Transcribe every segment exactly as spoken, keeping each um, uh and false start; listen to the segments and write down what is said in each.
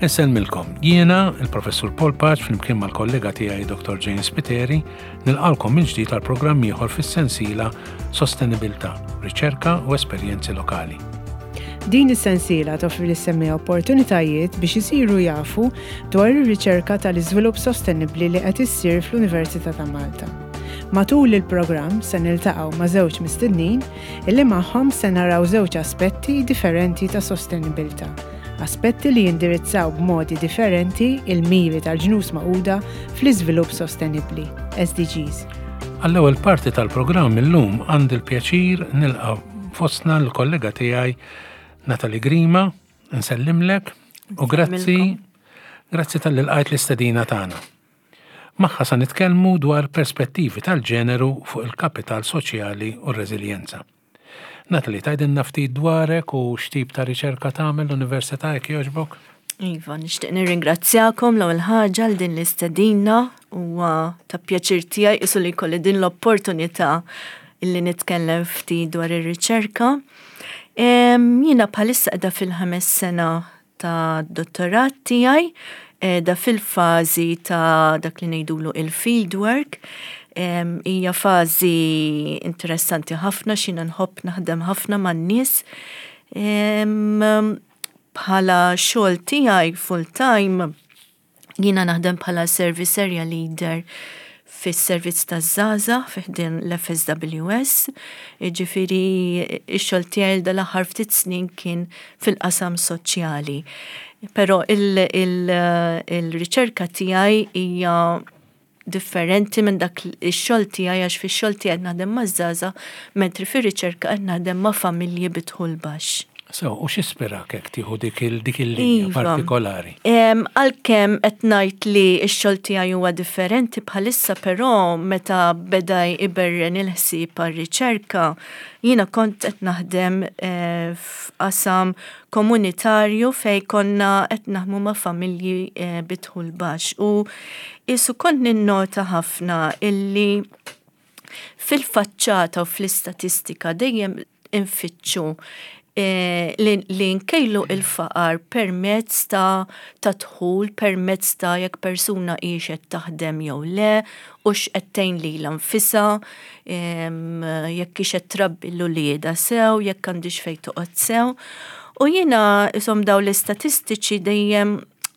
Insellmilkom, jiena, il-Professur Paul Pace, flimkien mal-kollega tiegħi Doctor Jane Spiteri, nilqagħkom minn ġdid għal programm ieħor fis-sensiela Sostenibilità, Riċerka u Esperjenzi Lokali. Din is-sensiela toffri lis-semmiegħa opportunitajiet biex isiru jafu dwar ir-riċerka tal-iżvilupp sostenibbli li qed issir fl-Università ta' Malta. Matul il-programm se niltaqgħu ma' żewġ mistednin illi magħhom se naraw żewġ aspetti differenti ta' sostenibilità. Aspetti li jindirizzaw b'modi differenti il-miri tal-Ġnus Magħquda fl-iżvilupp sostenibbli, S D Gs. Għall-ewwel parti tal-programm illum għandi l-pjaċir nilqa' fostna l-kollega tiegħi Natalie Grima, nsellimlek u grazzi grazzi talli lqajt l-istedina tagħna. Magħha sa nitkellmu dwar perspettivi tal-ġeneru fuq il-kapital soċjali u r-reżiljenza. Natalie, tgħidilna ftit dwarek u x'tip ta' riċerka tagħmel l-Università, jekk jogħġbok? Iva, nixtieq nirringrazzjakom l-ewwel ħaġa għal din l-istedina. Huwa ta' pjaċir tiegħi isu li jkolli din l-opportunità illi nitkellem ftit dwar ir-riċerka. Jiena bħalissa qiegħda fil-ħames sena ta' dottorat tiegħi, da fil-fażi ta' dak li ngħidulu il-field work. Hija fażi interessanti ħafna x'jiena nħobb naħdem ħafna man-nies. Bħala xogħol tiegħi full time jiena naħdem bħala service area leader fis-servizz taż-żgħażagħ fi ħdan l-F S W S. Ġifieri x-xogħol tiegħi dal-aħħar ftit snin kien fil-qasam soċjali. Però il-riċerka tiegħi hija differenti minn dak ix-xogħol tiegħi, għax fix-xogħol tiegħi naħdem maż-żgħażagħ, mentri fir-riċerka qed naħdem ma' familji bi dħul baxx. So, u x'ispirak hekk tieħu dik il-linja Iva. partikolari? Għalkemm qed ngħid li x-xogħol tiegħi huwa differenti bħalissa, però meta beda iberren il-ħsieb għar-riċerka, jiena kont qed naħdem eh, f'qasam komunitarju fej konna qed naħdmu ma' familji eh, bi dħul baxx u isu kont ninnota ħafna illi fil-faċċata u fl-istatistika dejjem infittxu eh, li, li nkejlu il-faqar permezz ta' ta' dħul, permezz ta' jekk persuna qed taħdem jew le, u x'qed tgħin lilha nfisha, jekk hix qed trabbi l-ulieda sew, jekk għandix fejn toqgħod sew. U jiena isom daw l-istatistiċi dejjem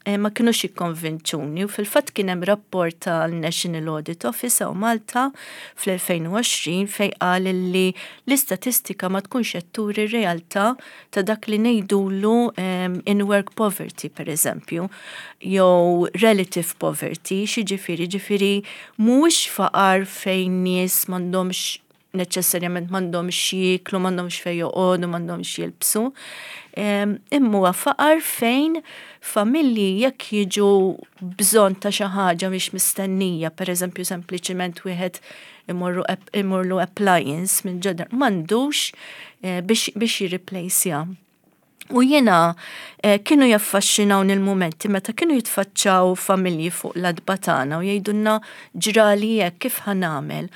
eh, ma kienux jikkonvinċuni u fil-fatt kien hemm rapport tal-National Audit Office hawn Malta fl-elfejn u għoxrin fej qal li l-istatistika ma tkunx qed turi r-realtà ta' dak li ngħidulu in work poverty, per eżempju, jew relative poverty. X'jiġifieri? Ġifieri mhuwiex faqar fejn nies m'għandhomx neċessarjament m'għandhomx jieklu, m'għandhomx fejn joqogħdu, m'għandhomx jilbsu. Imma huwa faqar fejn familji jekk jiġu bżonn ta' xi ħaġa mhix mistennija, per eżempju sempliċiment wieħed imorru imorlu appliance minn ġodda, m'għandux eh, biex biex jirreplaceja. U jiena eh, kienu jaffaxxinawni il-momenti meta kienu jitfaċċaw familji fuq l-għatba tagħna u jgħidulna "ġrali hekk, kif ħa nagħmel?"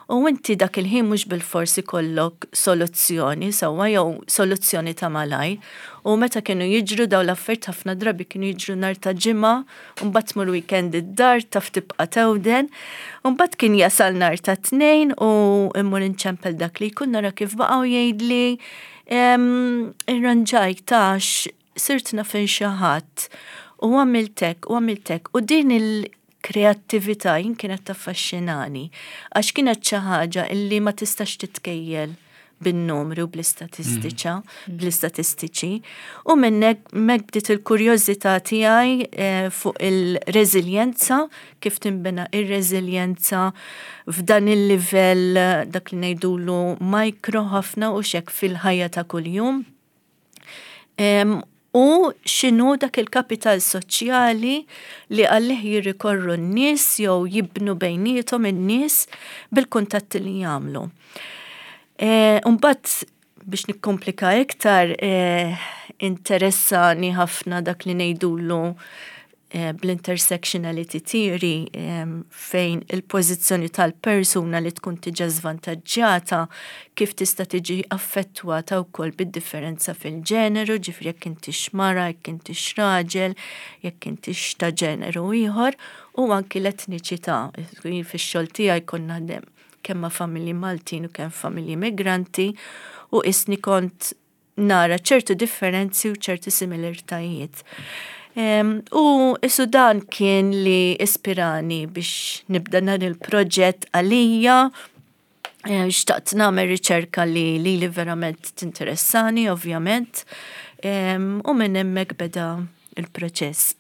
U inti dak il-ħin mhux bil-forsi jkollok soluzzjoni sewwa jew soluzzjoni ta' malajr. U meta kienu jiġru daw l-affarijiet, ħafna drabi kienu jiġru nhar ta' Ġimgħa, u mbagħad tmur weekend id-dar, taf tibqa' tewden. U mbagħad kien jasal nhar ta' Tnejn u immur inċempel dak li jkun, nara kif baqgħu, jgħidli "irranġajt għax sirt naf xi ħadd u għamiltek u għamiltek". U din il-kreattività jien kienet taffaxxinani għax kienet xi ħaġa illi ma tistax titkejjel bin-numri u bl-istatistiċa, bl-istatistiċi. U minnek mek bdiet il-kurjożità tiegħi eh, fuq il-reżiljenza, kif tinbena ir-reżiljenza f'dan il-livell dak li ngħidulu micro ħafna u xek fil-ħajja ta' kuljum. Em, u x'inhu dak il-kapital soċjali li għalih jirrikorru n-nies jew jibnu bejniethom in-nies bil-kuntatti li jagħmlu. E, Mbagħad biex nikkomplika iktar, e, interessani ħafna dak li ngħidulu eh, bl-intersectionality theory, fejn il-pożizzjoni tal-persuna li tkun tiġa żvantaġġjata kif tista' tiġi affettwata wkoll bid-differenza fil-ġeneru, ġifieri jekk intix mara, jekk intix raġel, jekk intix ta' ġeneru ieħor, u anki l-etniċità. Fix-xogħol tiegħi konna naħdem kemm ma' familji Maltin u kemm familji migranti u isni kont nara ċertu differenzi u ċertu similaritajiet. U isu dan kien li ispirani biex nibda dan il-proġett għalija. Xtaqt nagħmel riċerka li li li verament tinteressani, ovvjament, u minn hemmhekk beda il-proċess.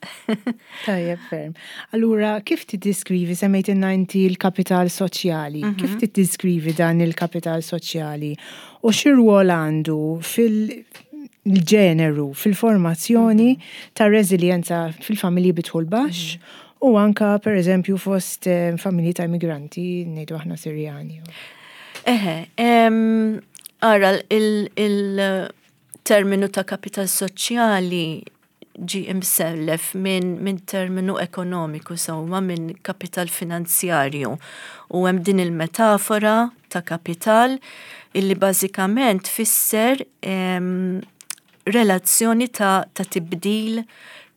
Tajjeb ferm. Allura, kif tiddiskrivi, semmejt inti l-kapital soċjali, mm -hmm. kif tiddiskrivi dan il-kapital soċjali u x'rwol għandu fil-ġeneru, fil-formazzjoni mm -hmm. ta' reżiljenza fil-familji bi dħul baxx mm -hmm. u anka per eżempju fost eh, familji ta' immigranti, ngħidu aħna Sirjani? Eħe, ara, il-terminu ta' kapital soċjali ġi imsellef minn min terminu ekonomiku, sewwa, minn kapital finanzjarju. U hemm din il-metafora ta' kapital illi bażikament tfisser em, relazzjoni ta', ta' tibdil,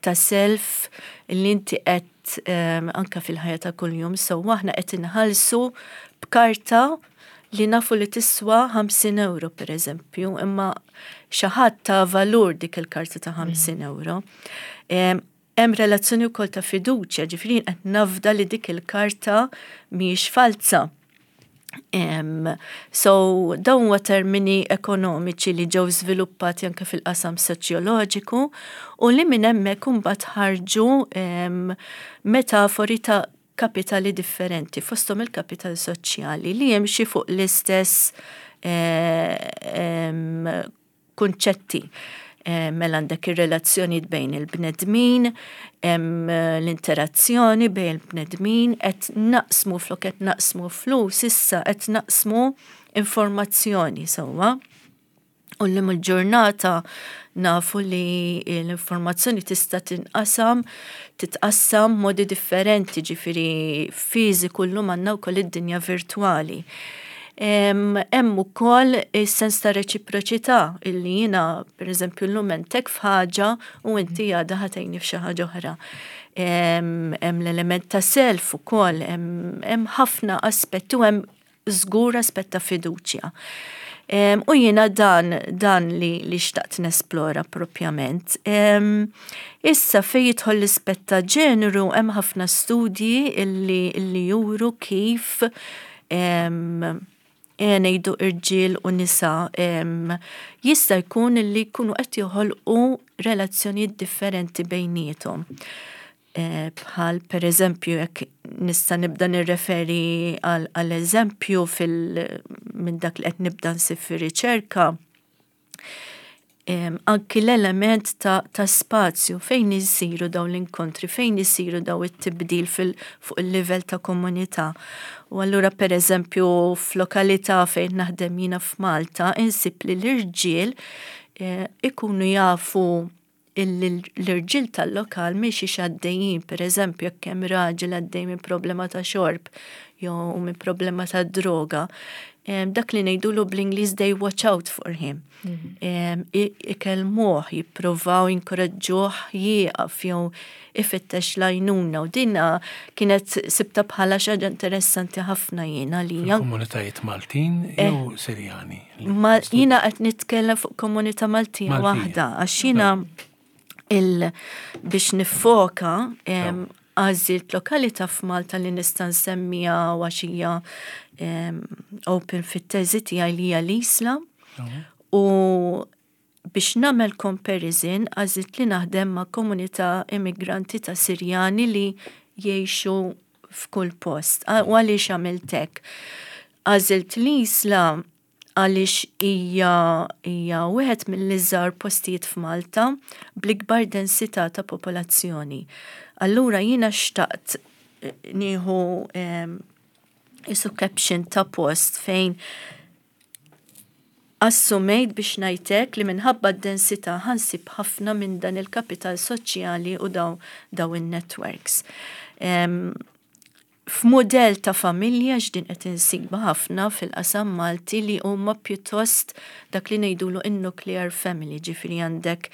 ta' self illi inti qed um, anka fil-ħajja ta' kuljum, so aħna qed inħallsu b'karta li nafu li tiswa ħamsin euro per eżempju, imma xi ħadd ta valur dik il-karta ta' ħamsin euro. Hemm relazzjoni wkoll ta' fiduċja, ġifieri qed nafda li dik il-karta mhijiex falsa. Um, so, dawn huwa termini ekonomiċi li ġew żviluppati anke fil-qasam soċjoloġiku u li minn hemmhekk imbagħad ħarġu um, metafori ta' kapitali differenti, fosthom il-kapital soċjali li jimxi fuq l-istess eh, kunċetti. Eh, mela għandek ir-relazzjoni bejn il-bnedmin, l-interazzjoni bejn il-bnedmin, qed naqsmu, flok qed naqsmu flus, issa qed naqsmu informazzjoni, sewwa. U l il-ġurnata nafu li l-informazzjoni tista' tinqasam, titqassam modi differenti, ġifieri fiżiku, llum għandna wkoll id-dinja virtwali. Hemm ukoll is-sens ta' reċiproċità illi jiena, pereżempju, llum għentek f'ħaġa u inti għada ħa tgħinni f'xi ħaġa oħra. Hemm l-element ta' self ukoll, hemm ħafna aspetti u hemm żgur aspett ta' fiduċja. U jiena dan, dan li, li xtaqt nesplora propjament. Issa fej jidħol l-ispett ta' ġeneru, hemm ħafna studji illi, illi juru kif ngħidu irġiel u nisa jista' jkun li jkunu qed joħolqu relazzjonijiet differenti bejniethom. Eh, bħal per eżempju, jekk nista' nibda nirreferi għal eżempju fil minn dak li qed nibda nsib fir-riċerka, anki l-element ta', ta spazju fejn isiru dawn l-inkontri, fejn isiru daw it-tibdil fuq il-livell ta' komunità. U allura, per eżempju, f'lokalità fejn naħdem jiena f'Malta, insib li l-irġiel eh, ikunu jafu l-irġiel tal-lokal miex għaddejjin, per eżempju, jekk hemm raġel għaddej minn problema ta' xorb jew minn problema ta' droga, dak li ngħidulu bl-Ingliż "they watch out for him". Mhm. Ikellmuh, jippruvaw jinkoraġġuh jieqaf jew ifittex l-għajnuna, u dinna kienet sibta bħala xi ħaġa interessanti ħafna jiena li. Komunitajiet Maltin eh, jew Sirjani? Ma jiena qed nitkellem fuq komunità Maltija waħda, għax jiena il biex nifoka għażilt lokalità f'Malta li nista' nsemmija għax hija open fit-teżi tiegħi, li hija l-Isla. U biex nagħmel comparison għażilt li naħdem ma' komunità immigranti ta' Sirjani li jgħixu f'kull post. U għaliex għamilt hekk? Għażilt l-Isla għaliex hija hija wieħed mill-iżgħar postijiet f'Malta bl-ikbar densità ta' popolazzjoni. Allura jiena xtaqt eh, nieħu isu caption ta' post fejn Assumejt, biex ngħidlek, li minħabba d-densità ħa nsib ħafna minn dan il-kapital soċjali u daw, daw in-networks. Um, F'modell ta' familja x'din qed insiba ħafna fil-qasam Malti li huma pjuttost dak li ngħidulu in-nuclear family, ġifieri għandek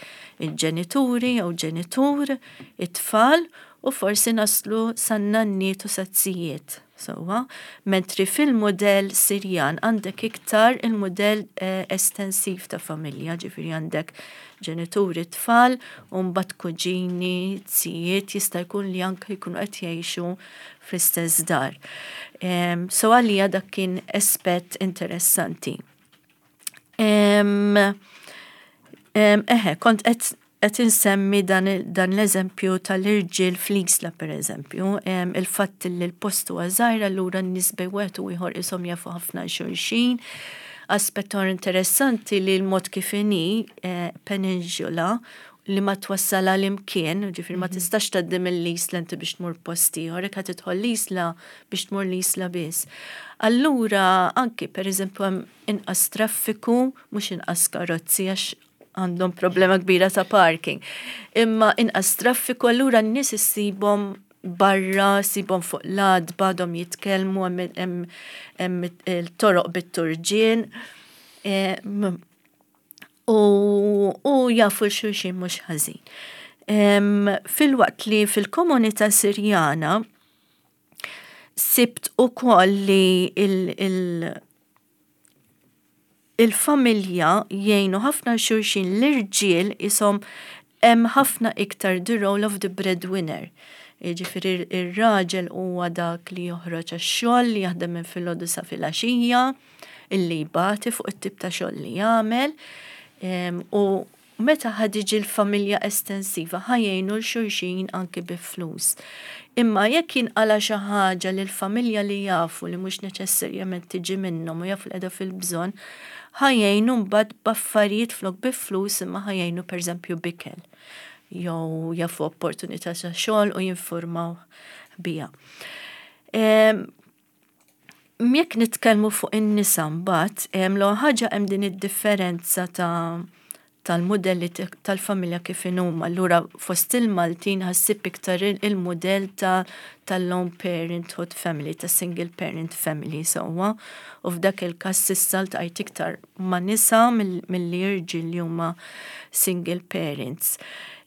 il-ġenituri jew ġenitur, it-tfal u forsi naslu san-nanniet u z-zijiet. Sewwa, mentri fil-modell Sirjan għandek iktar il-modell eh, estensiv ta' familja, ġifieri għandek ġenituri, tfal, u mbagħad kuġini, zijiet, jista' jkun li anke jkunu qed jgħixu fl-istess dar. Um, so għalija dak kien aspett interessanti. Um, um, eħe, kont qed qed insemmi dan, dan l-eżempju tal-irġiel fl-Isla, per eżempju, il-fatt li l-post huwa żgħir, allura n-nies bejn wieħed u ieħor ishom jafu ħafna xulxin. Aspett interessanti li l-mod kif inhi eh, peninsula li ma twassal għal imkien, ġifieri ma mhm. tistax tgħaddi mill-Isla inti biex tmur post ieħor, jekk tidħol l-Isla biex tmur l-Isla biss. Allura anki, per eżempju, hemm inqas traffiku, mhux inqas karozzi għax għandhom problema kbira ta' parking. Imma inqas traffiku, allura n-nies issibhom barra, ssibhom fuq l-għatba, għadhom jitkellmu, hemm il-toroq bit-turġien. E, u, u jafu xulxin mhux ħażin. Filwaqt li fil-komunità Sirjana sibt ukoll li il- il- il-familja jgħinu ħafna xulxin, l-irġiel ishom hemm ħafna iktar the role of the breadwinner. Ġifieri ir-raġel huwa dak li joħroġ għax-xogħol, li jaħdem minn filgħodu sa filgħaxija, illi jbati fuq it-tip ta' xogħol li jagħmel. U meta ħa tiġi l-familja estensiva, ħa jgħinu 'l xulxin anki bi flus. Imma jekk jinqala xi ħaġa li l-familja li jafu li mhux neċessarjament tiġi minnhom u jafu li qiegħda fil-bżonn, ħa jgħinu mbagħad b'affarijiet flok bi flus, imma ħa jgħinu, pereżempju, b'ikel. Jew jafu opportunità ta' xogħol u jinformaw biha. Jekk nitkellmu fuq in-nisa mbagħad, l ħaġa hemm din id-differenza ta' tal-modelli tal-familja kif inhuma. Allura fost il-Maltin ħa ssib iktar il-modell ta' tal-lone parenthood family, ta' single parent family, sewwa. U f'dak il-każ s'issa ltqajt iktar ma' nisa milli irġiel li huma single parents.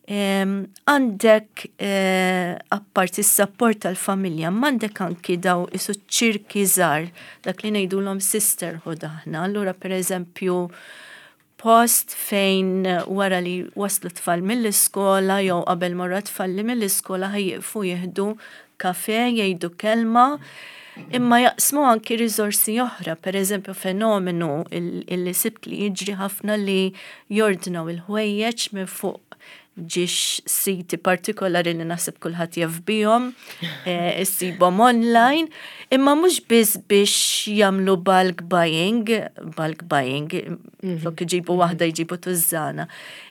Għandek, eh, apparti s-support tal-familja, m'għandek anki daw isu ċirki żgħar, dak li ngħidulhom sisterhood aħna. Allura, per eżempju, post fejn wara li waslu tfal mill-iskola jew qabel marru tfal li mill-iskola ħa jieqfu jieħdu kafe, jgħidu kelma, imma jaqsmu anki riżorsi oħra, per eżempju, fenomenu illi sibt li jiġri ħafna li jordnaw il-ħwejjeġ minn fuq ġiex siti partikolari li naħseb kulħadd jaf bihom, eh, issibhom online, imma mhux biss biex jagħmlu bulk buying, bulk buying, mhm. flok iġibu waħda jġibu tużżana,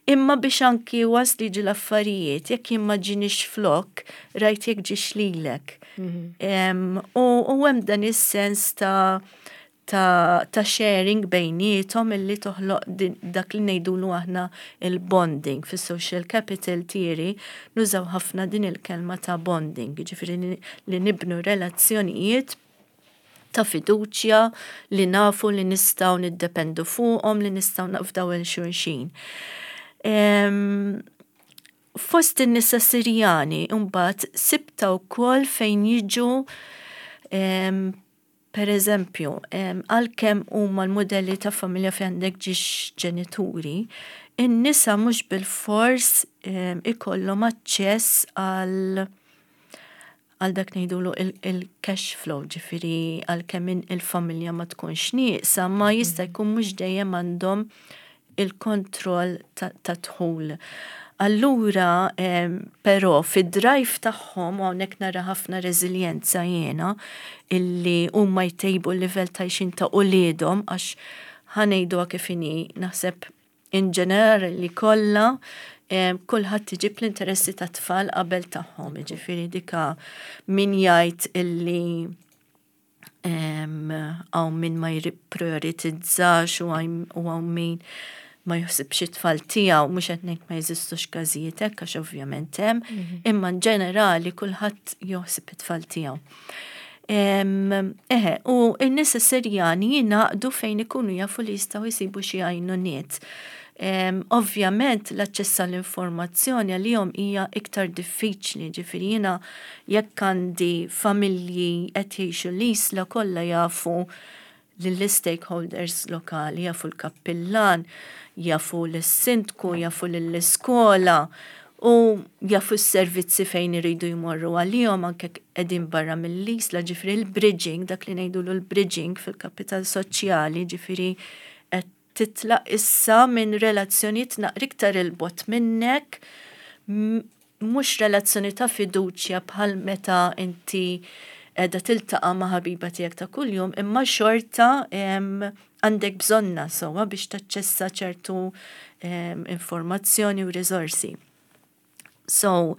imma biex anki was li ġi l-affarijiet, jekk jien ma ġinix flok, rajt jekk ġiex lilek. Mhm. U hemm dan is-sens ta' ta', ta sharing bejniethom illi toħloq dak li ngħidulu aħna il-bonding. Fis-social capital theory nużaw ħafna din il-kelma ta' bonding, ġifieri li nibnu relazzjonijiet ta' fiduċja li nafu li nistgħu niddependu fuqhom, li nistgħu nafdaw 'il xulxin. Fost in-nisa Sirjani mbagħad sibta wkoll fejn jiġu, per eżempju, għalkemm huma l-modelli ta' familja fejn għandek ġiex ġenituri, in-nisa mhux bil-fors ikollhom aċċess għal għal dak ngħidulu il-cash flow, ġifieri għalkemm il-familja ma tkunx nieqsa, ma jista' jkun mhux dejjem għandhom il-kontroll ta' dħul. Allura, però, fid-drive tagħhom, u hawnhekk nara ħafna reżiljenza jiena, illi huma jtejbu l-livell ta' għajxien ta' uliedhom, għax ħa ngħidu kif inhi, naħseb in ġenerali kollha kulħadd iġib l-interessi ta' tfal qabel tagħhom, ġifieri dika min jgħid illi Hawn min ma jipprioritizzax u hawn min ma jaħsibx it-tfal tiegħu, mhux qed ngħid ma jeżistux każijiet hekk għax ovvjament hemm, mhm. imma ġenerali kulħadd jaħseb it-tfal tiegħu. Eħe, u n-nies Sirjani jingħaqdu fejn ikunu jafu li jistgħu jsibu xi għajnuniet. Ovvjament l-aċċess għall-informazzjoni għalihom hija iktar diffiċli, ġifieri jiena jekk għandi familji qed jgħixu l-Isla, kollha jafu lill-stakeholders lokali, jafu l-kappillan, jafu l-sindku, jafu l-iskola u jafu s-servizzi fejn iridu jmorru għalihom anke qegħdin barra mill-Isla, ġifieri l-bridging, dak li ngħidu l-bridging fil-kapital soċjali, ġifieri qed titlaq issa minn relazzjonijiet naqra iktar 'il bogħod minnek, mhux relazzjoni ta' fiduċja bħal meta inti qiegħda tiltaqa' ma' ħabiba tiegħek ta' kuljum, imma xorta għandek bżonna sewwa biex taċċessa ċertu informazzjoni u riżorsi. So,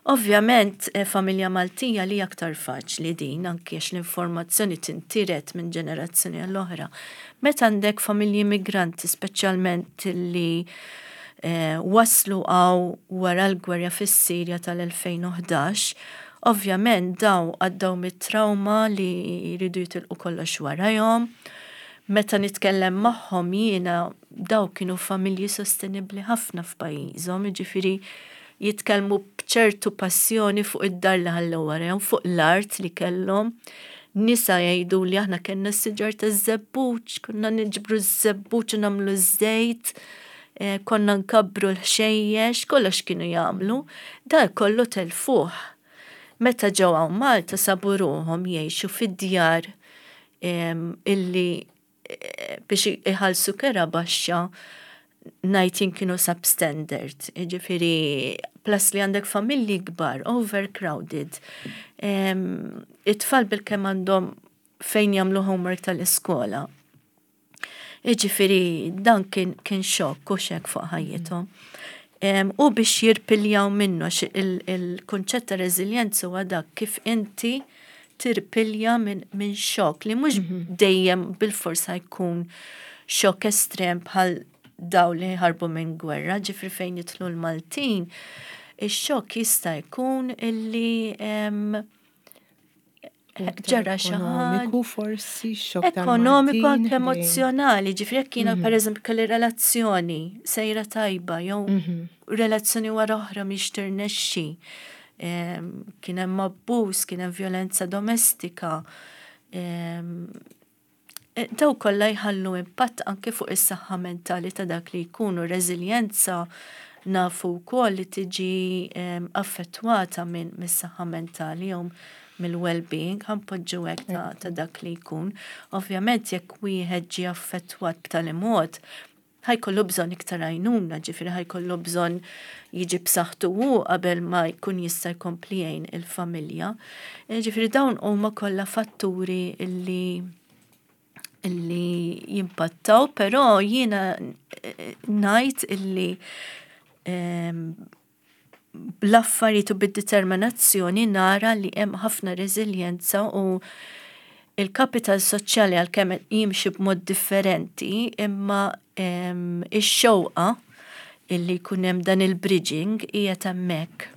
ovvjament, eh, familja Maltija li aktar faċli din, anki għax l-informazzjoni tintiret minn ġenerazzjoni għall-oħra. Meta għandek familji migranti, speċjalment li eh, waslu hawn wara l-gwerra fis-Sirja tal-elfejn u ħdax, ovvjament daw għaddew mit-trauma li jridu jitilqu kollox warajhom. Meta nitkellem magħhom jiena, daw kienu familji sostenibli ħafna f'pajjiżhom, jiġifieri jitkellmu b'ċertu passjoni fuq id-dar li ħallew warajhom, fuq l-art li kellhom. Nisa jgħidu li aħna kellna s-siġar ta' żebbuġ, konna niġbru ż-żebbuġ u nagħmlu ż-żejt, eh, konna nkabbru l-ħxejjex, kollox kienu jagħmlu, dal kollu telfuh. Meta ġew hawn Malta sabu ruħhom jgħixu fid-djar illi eh, biex iħallsu kera baxxa ngħid kienu substandard, ġifieri plus li għandek familji kbar, overcrowded. It-tfal bil-kemm għandhom fejn jagħmlu homework tal-iskola. Ġifieri dan kien, kien xokk u xek fuq ħajjithom. U biex jirpiljaw minnu, il-kunċett ta' reżiljenza huwa dak kif inti tirpilja minn min xokk li mhux mhm. dejjem bil-forsa jkun xokk estrem bħal daw li ħarbu minn gwerra, ġifieri fejn jidħlu l-Maltin, ix-xokk jista' jkun illi ġara xi Ekonomiku forsi, xokk. Ekonomiku, anke emozjonali, ġifieri jekk jiena mhm. pereżempju kelli relazzjoni sejra tajba jew mhm. relazzjoni wara oħra mhix tirnexxi. Kien hemm abbuż, kien hemm violenza domestika. E, daw kollha jħallu impatt anke fuq is-saħħa mentali ta' dak li jkunu. Reżiljenza nafu wkoll li tiġi affettwata minn mis-saħħa mentali jew mill-well-being, ħa npoġġu hekk, ta', ta dak li jkun. Ovvjament jekk wieħed ġi affettwat b'tali mod, ħa jkollu bżonn iktar għajnuna, ġifieri ħa jkollu bżonn jiġi b'saħħtu hu qabel ma jkun jista' jkompli jgħin il-familja. E, ġifieri dawn huma kollha fatturi illi illi jimpattaw, però jiena eh, ngħid illi bl-affarijiet u bid-determinazzjoni nara li hemm ħafna reżiljenza u il-kapital soċjali, għalkemm jimxi b'mod differenti, imma ix-xewqa illi jkun hemm dan il-bridging hija hemmhekk.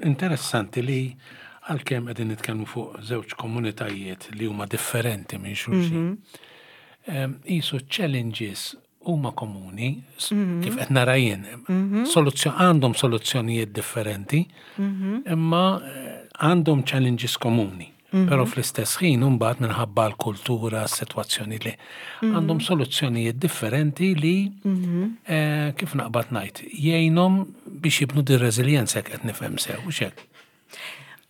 Interessanti li għalkemm qegħdin nitkellmu fuq żewġ komunitajiet li huma differenti minn xulxin, mhm. Qisu challenges huma komuni, mhm. kif qed nara jien. Mhm. Għandhom soluzzjonijiet differenti, imma eh, għandhom challenges komuni. Però fl-istess ħin mbagħad minħabba l-kultura, s-sitwazzjoni li għandhom soluzzjonijiet differenti li eh, kif naqbad ngħid, jgħinhom biex jibnu din reżiljenza, qed nifhem sew, u hekk?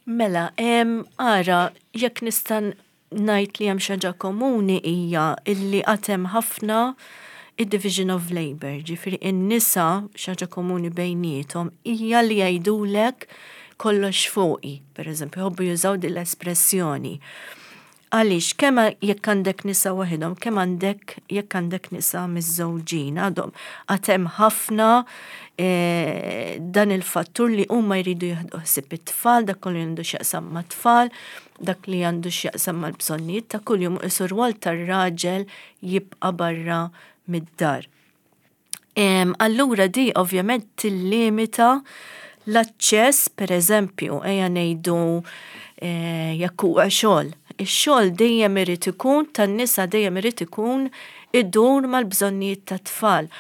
Mela, ara, jekk nista' ngħid li hemm xi ħaġa komuni hija illi għad hemm ħafna id-division of labor, ġifieri in-nisa, xi ħaġa komuni bejniethom hija li jgħidulek "kollox fuqi", per eżempju, jħobbu jużaw din l-espressjoni. Għaliex, kemm jekk għandek nisa waħedhom, kemm għandek jekk għandek nisa miżżewġin, għadhom għad hemm ħafna eh, dan il-fattur li huma jridu jieħdu ħsieb it-tfal, dak kollu għandu x'jaqsam mat-tfal, dak li għandu x'jaqsam mal-bżonnijiet ta' kuljum, isu rwol tar-raġel jibqa' barra mid-dar. Allura di ovvjament tillimita l-aċċess, per eżempju, ejja ngħidu eh, jekk huwa xogħol. Ix-xogħol dejjem irid ikun tan-nisa, dejjem irid ikun idur mal-bżonnijiet tat-tfal.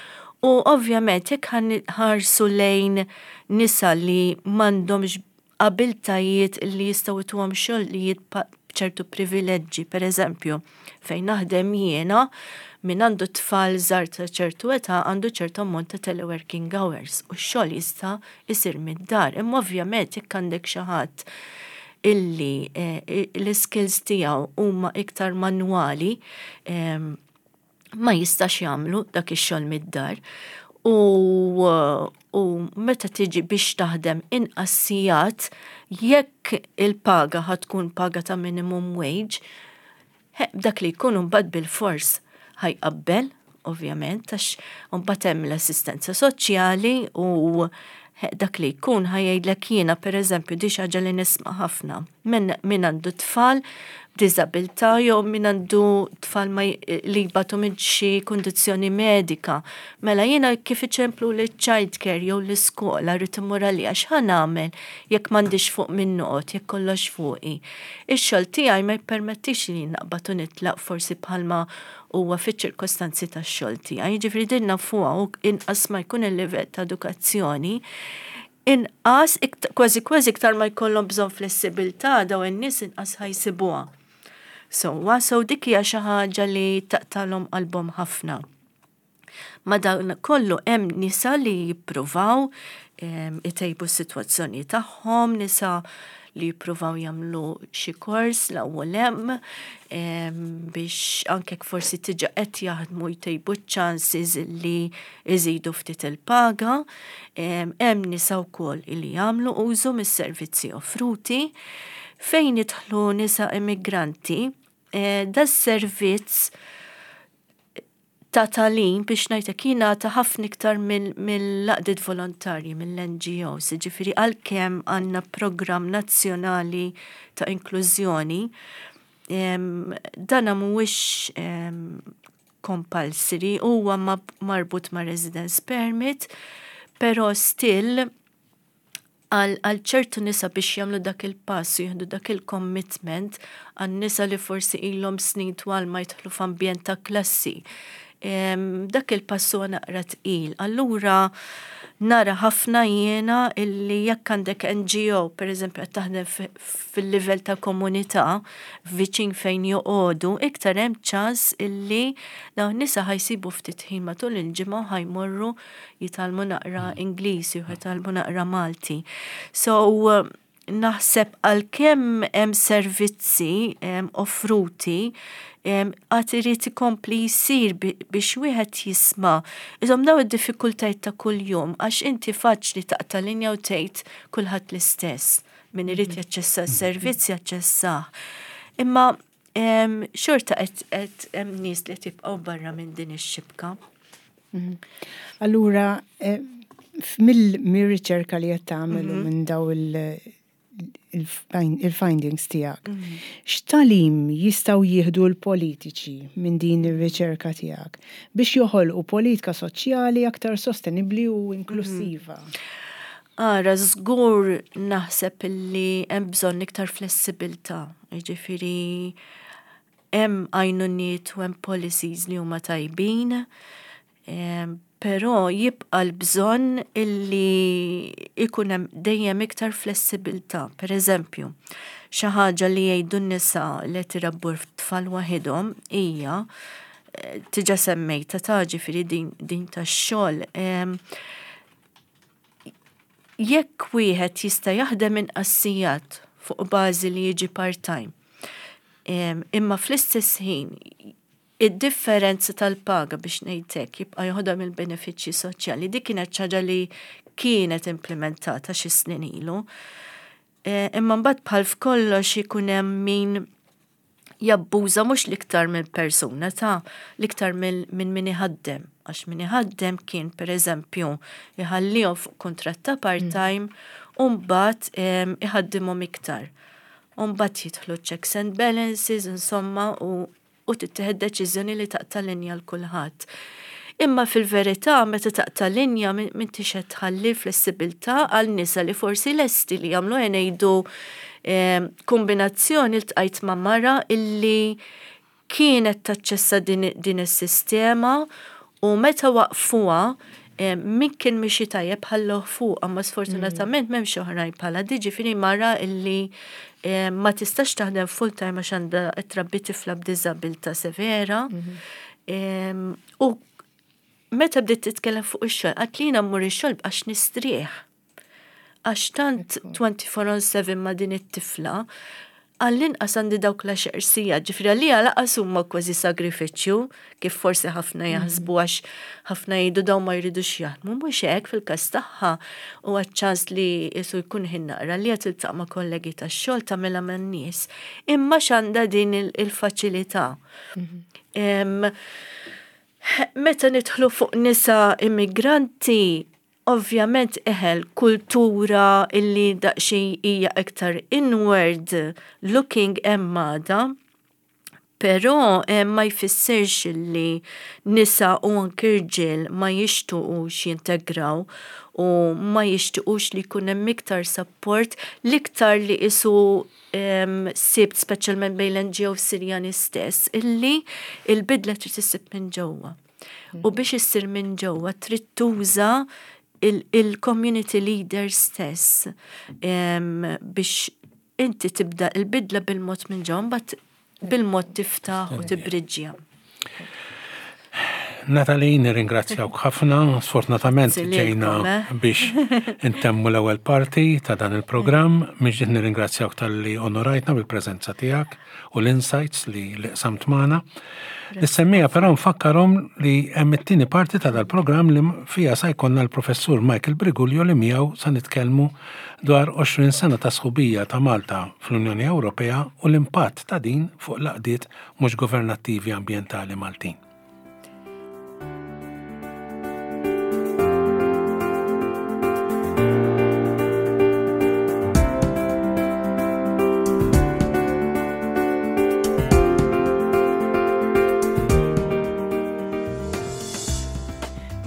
U ovvjament jekk ħarsu lejn nisa li m'għandhomx abiltajiet li jistgħu jtuhom xogħlijiet b'ċertu privileġġi, per eżempju, fejn naħdem jiena, min għandu tfal żgħar ta' ċertu età għandu ċertu ammont ta' teleworking hours u x-xogħol jista' jsir mid-dar. Imma ovvjament jekk għandek xi ħadd illi eh, l-skills tiegħu huma iktar manwali, ma jistax jagħmlu dak ix-xogħol mid-dar. U, u meta tiġi biex taħdem inqas sigħat, jekk il-paga ħa tkun paga ta' minimum wage, dak li jkun mbagħad bil-fors ħa jqabbel, ovvjament, għax mbagħad hemm l-assistenza soċjali u dak li jkun ħa jgħidlek jiena, per eżempju, di ħaġa li nisma' ħafna. Min, min għandu tfal b'diżabilità jew min għandu tfal ma li jbatu minn xi kundizzjoni medika. Mela jiena kif iċemplu li child care jew l-iskola rrid immur għalija, x'ħa nagħmel jekk m'għandix fuq min noqgħod, jekk kollox fuqi? Ix-xogħol tiegħi ma jippermettix li naqbad u nitlaq forsi bħalma huwa fiċ-ċirkostanzi tax-xogħol tiegħi. Jiġifieri din nafuha, u inqas ma jkun il-livell ta' edukazzjoni, inqas, kważi kważi iktar ma jkollhom bżonn flessibilità daw in-nies, inqas ħa jsibuha. So, so dik hija xi ħaġa li taqtalhom qalbhom ħafna. Ma dan kollu hemm nisa li jippruvaw itejbu s-sitwazzjoni tagħhom, nisa li jippruvaw jagħmlu xi kors l-ewwel hemm biex anke forsi diġà qed jaħdmu jtejbu chances li jżidu ftit il-paga. Hemm nisa wkoll li jagħmlu użu mis-servizzi offruti. Fejn jidħlu nisa immigranti, eh, da servizz ta' tagħlim, biex ngħidlek, jingħata ħafna iktar mill-għaqdiet volontarji, mill-N G Os, ġifieri għalkemm għandna programm nazzjonali ta' inklużjoni, dana mhuwiex compulsory, huwa marbut ma' residence permit, pero still għal ċertu nisa biex jagħmlu dak il-pass u jieħdu dak il-commitment, għal nisa li forsi ilhom snin twal ma jidħlu f'ambjent ta' klassi, dak il-pass huwa naqra tqil. Allura nara ħafna jiena illi jekk għandek N G O, per eżempju, qed taħdem fil-livell ta' komunità, viċin fejn joqogħdu, iktar hemm ċans illi dawn nisa ħa jsibu ftit ħin matul il-ġimgħa, ħa jmorru jitgħallmu naqra Ingliż jew jitgħallmu naqra Malti. So naħseb għalkemm hemm servizzi offruti, għad irid ikompli jsir biex wieħed jisma' iżom daw id-diffikultajiet ta' kuljum, għax inti faċli taqta' linja u tgħid kulħadd l-istess, min irid mhm. jaċċessa s-servizz jaċċessah. Imma xorta qed hemm nies li tibqgħu barra minn din ix-xibka. Mhm. Allura, eh, mill-riċerka li qed tagħmel mhm. minn daw il- il-findings tiegħek. Mhm. X'tagħlim jistgħu jieħdu l-politiċi minn din ir-riċerka tiegħek biex joħolqu politika soċjali aktar sostenibbli u inklusiva? Ara, żgur naħseb illi hemm bżonn iktar flessibilità. Jiġifieri hemm għajnuniet u hemm policies li huma tajbin, però jibqa' l-bżonn illi ikun hemm dejjem iktar flessibilità. Per eżempju, xi ħaġa li jgħidu n-nisa li qed irabbu tfal waħedhom hija eh, diġà semmejta ta' ġifieri din, din tax-xogħol. Jekk wieħed jista' jaħdem inqas sigħat fuq bażi li jiġi part-time, imma fl-istess ħin id-differenza tal-paga, biex ngħidlek, jibqa' joħodha mill-benefiċċji soċjali. Dik kienet ħaġa li kienet implementata xi snin ilu. E, imma mbagħad bħal f'kollox ikun hemm min Jabbuża mhux l-iktar minn persuna ta' l-iktar minn min iħaddem. Għax min iħaddem kien per eżempju iħallihom fuq kuntratt ta' part-time u mbagħad iħaddimhom iktar. U mbagħad jidħlu checks and balances, insomma, u, u tittieħed deċiżjoni li taqta' linja l kulħadd. Imma fil-verità, meta taqta' linja m'intix qed tħalli flessibilità għal nisa li forsi lesti li jagħmlu, ngħidu kombinazzjoni, ltqajt ma' mara illi kienet taċċessa din, din is-sistema u meta waqfuha, min kien mixi tajjeb ħalluh fuq, ma sfortunatament m'hemmx oħrajn bħala di, ġifieri mara illi ma tistax taħdem full time għax għandha trabbi tifla b'diżabilità severa. U meta bdiet titkellem fuq ix-xogħol, qalet li jiena mmur ix-xogħol għax nistrieħ. Għax tant twenty-four on seven ma' din it-tifla, għall-inqas għandi dawk l-għaxar sigħat, ġifieri għalija lanqas huma kważi sagrifiċċju, kif forsi ħafna jaħsbu, għax ħafna jgħidu dawn ma jridux jaħdmu, mhux hekk. Fil-każ tagħha u ċans li jisu jkun ħin naqra li qed tiltaqa' ma' kollegi tax-xogħol, tagħmilha man-nies. Imma x'għandha din il-faċilità. Meta nidħlu fuq nisa immigranti, ovvjament eħel kultura illi daqsxejn hija iktar inward looking emmada, però eh, ma jfissirx li nisa u anki rġiel ma jixtuqux jintegraw u ma jixtuqux li jkun hemm iktar support, l-iktar li isu um, sibt speċjalment bejn l-N G O Sirjani stess, illi il-bidla trid issir minn ġewwa. U biex issir minn ġewwa trid tuża il-community leader stess um, biex inti tibda il-bidla bil-mod minn ġewwa, mbagħad bil-mod tiftaħ u tibriġġja. Natalie, nirringrazzjawk ħafna. Sfortunatament ġejna eh? biex intemmu l-ewwel parti ta' dan il-programm. Miġdiet nirringrazzjawk talli onorajtna bil-preżenza tiegħek u l-insights li li qsamt magħna. Lis-semmiegħa però nfakkarhom li hemm it-tieni parti ta' dal-programm li fija sa jkollna l-professur Michael Briguglio li miegħu sa nitkellmu dwar għoxrin sena ta' sħubija ta' Malta fl-Unjoni Ewropea u l-impatt ta' din fuq l-għaqdiet mhux governattivi ambjentali Maltin.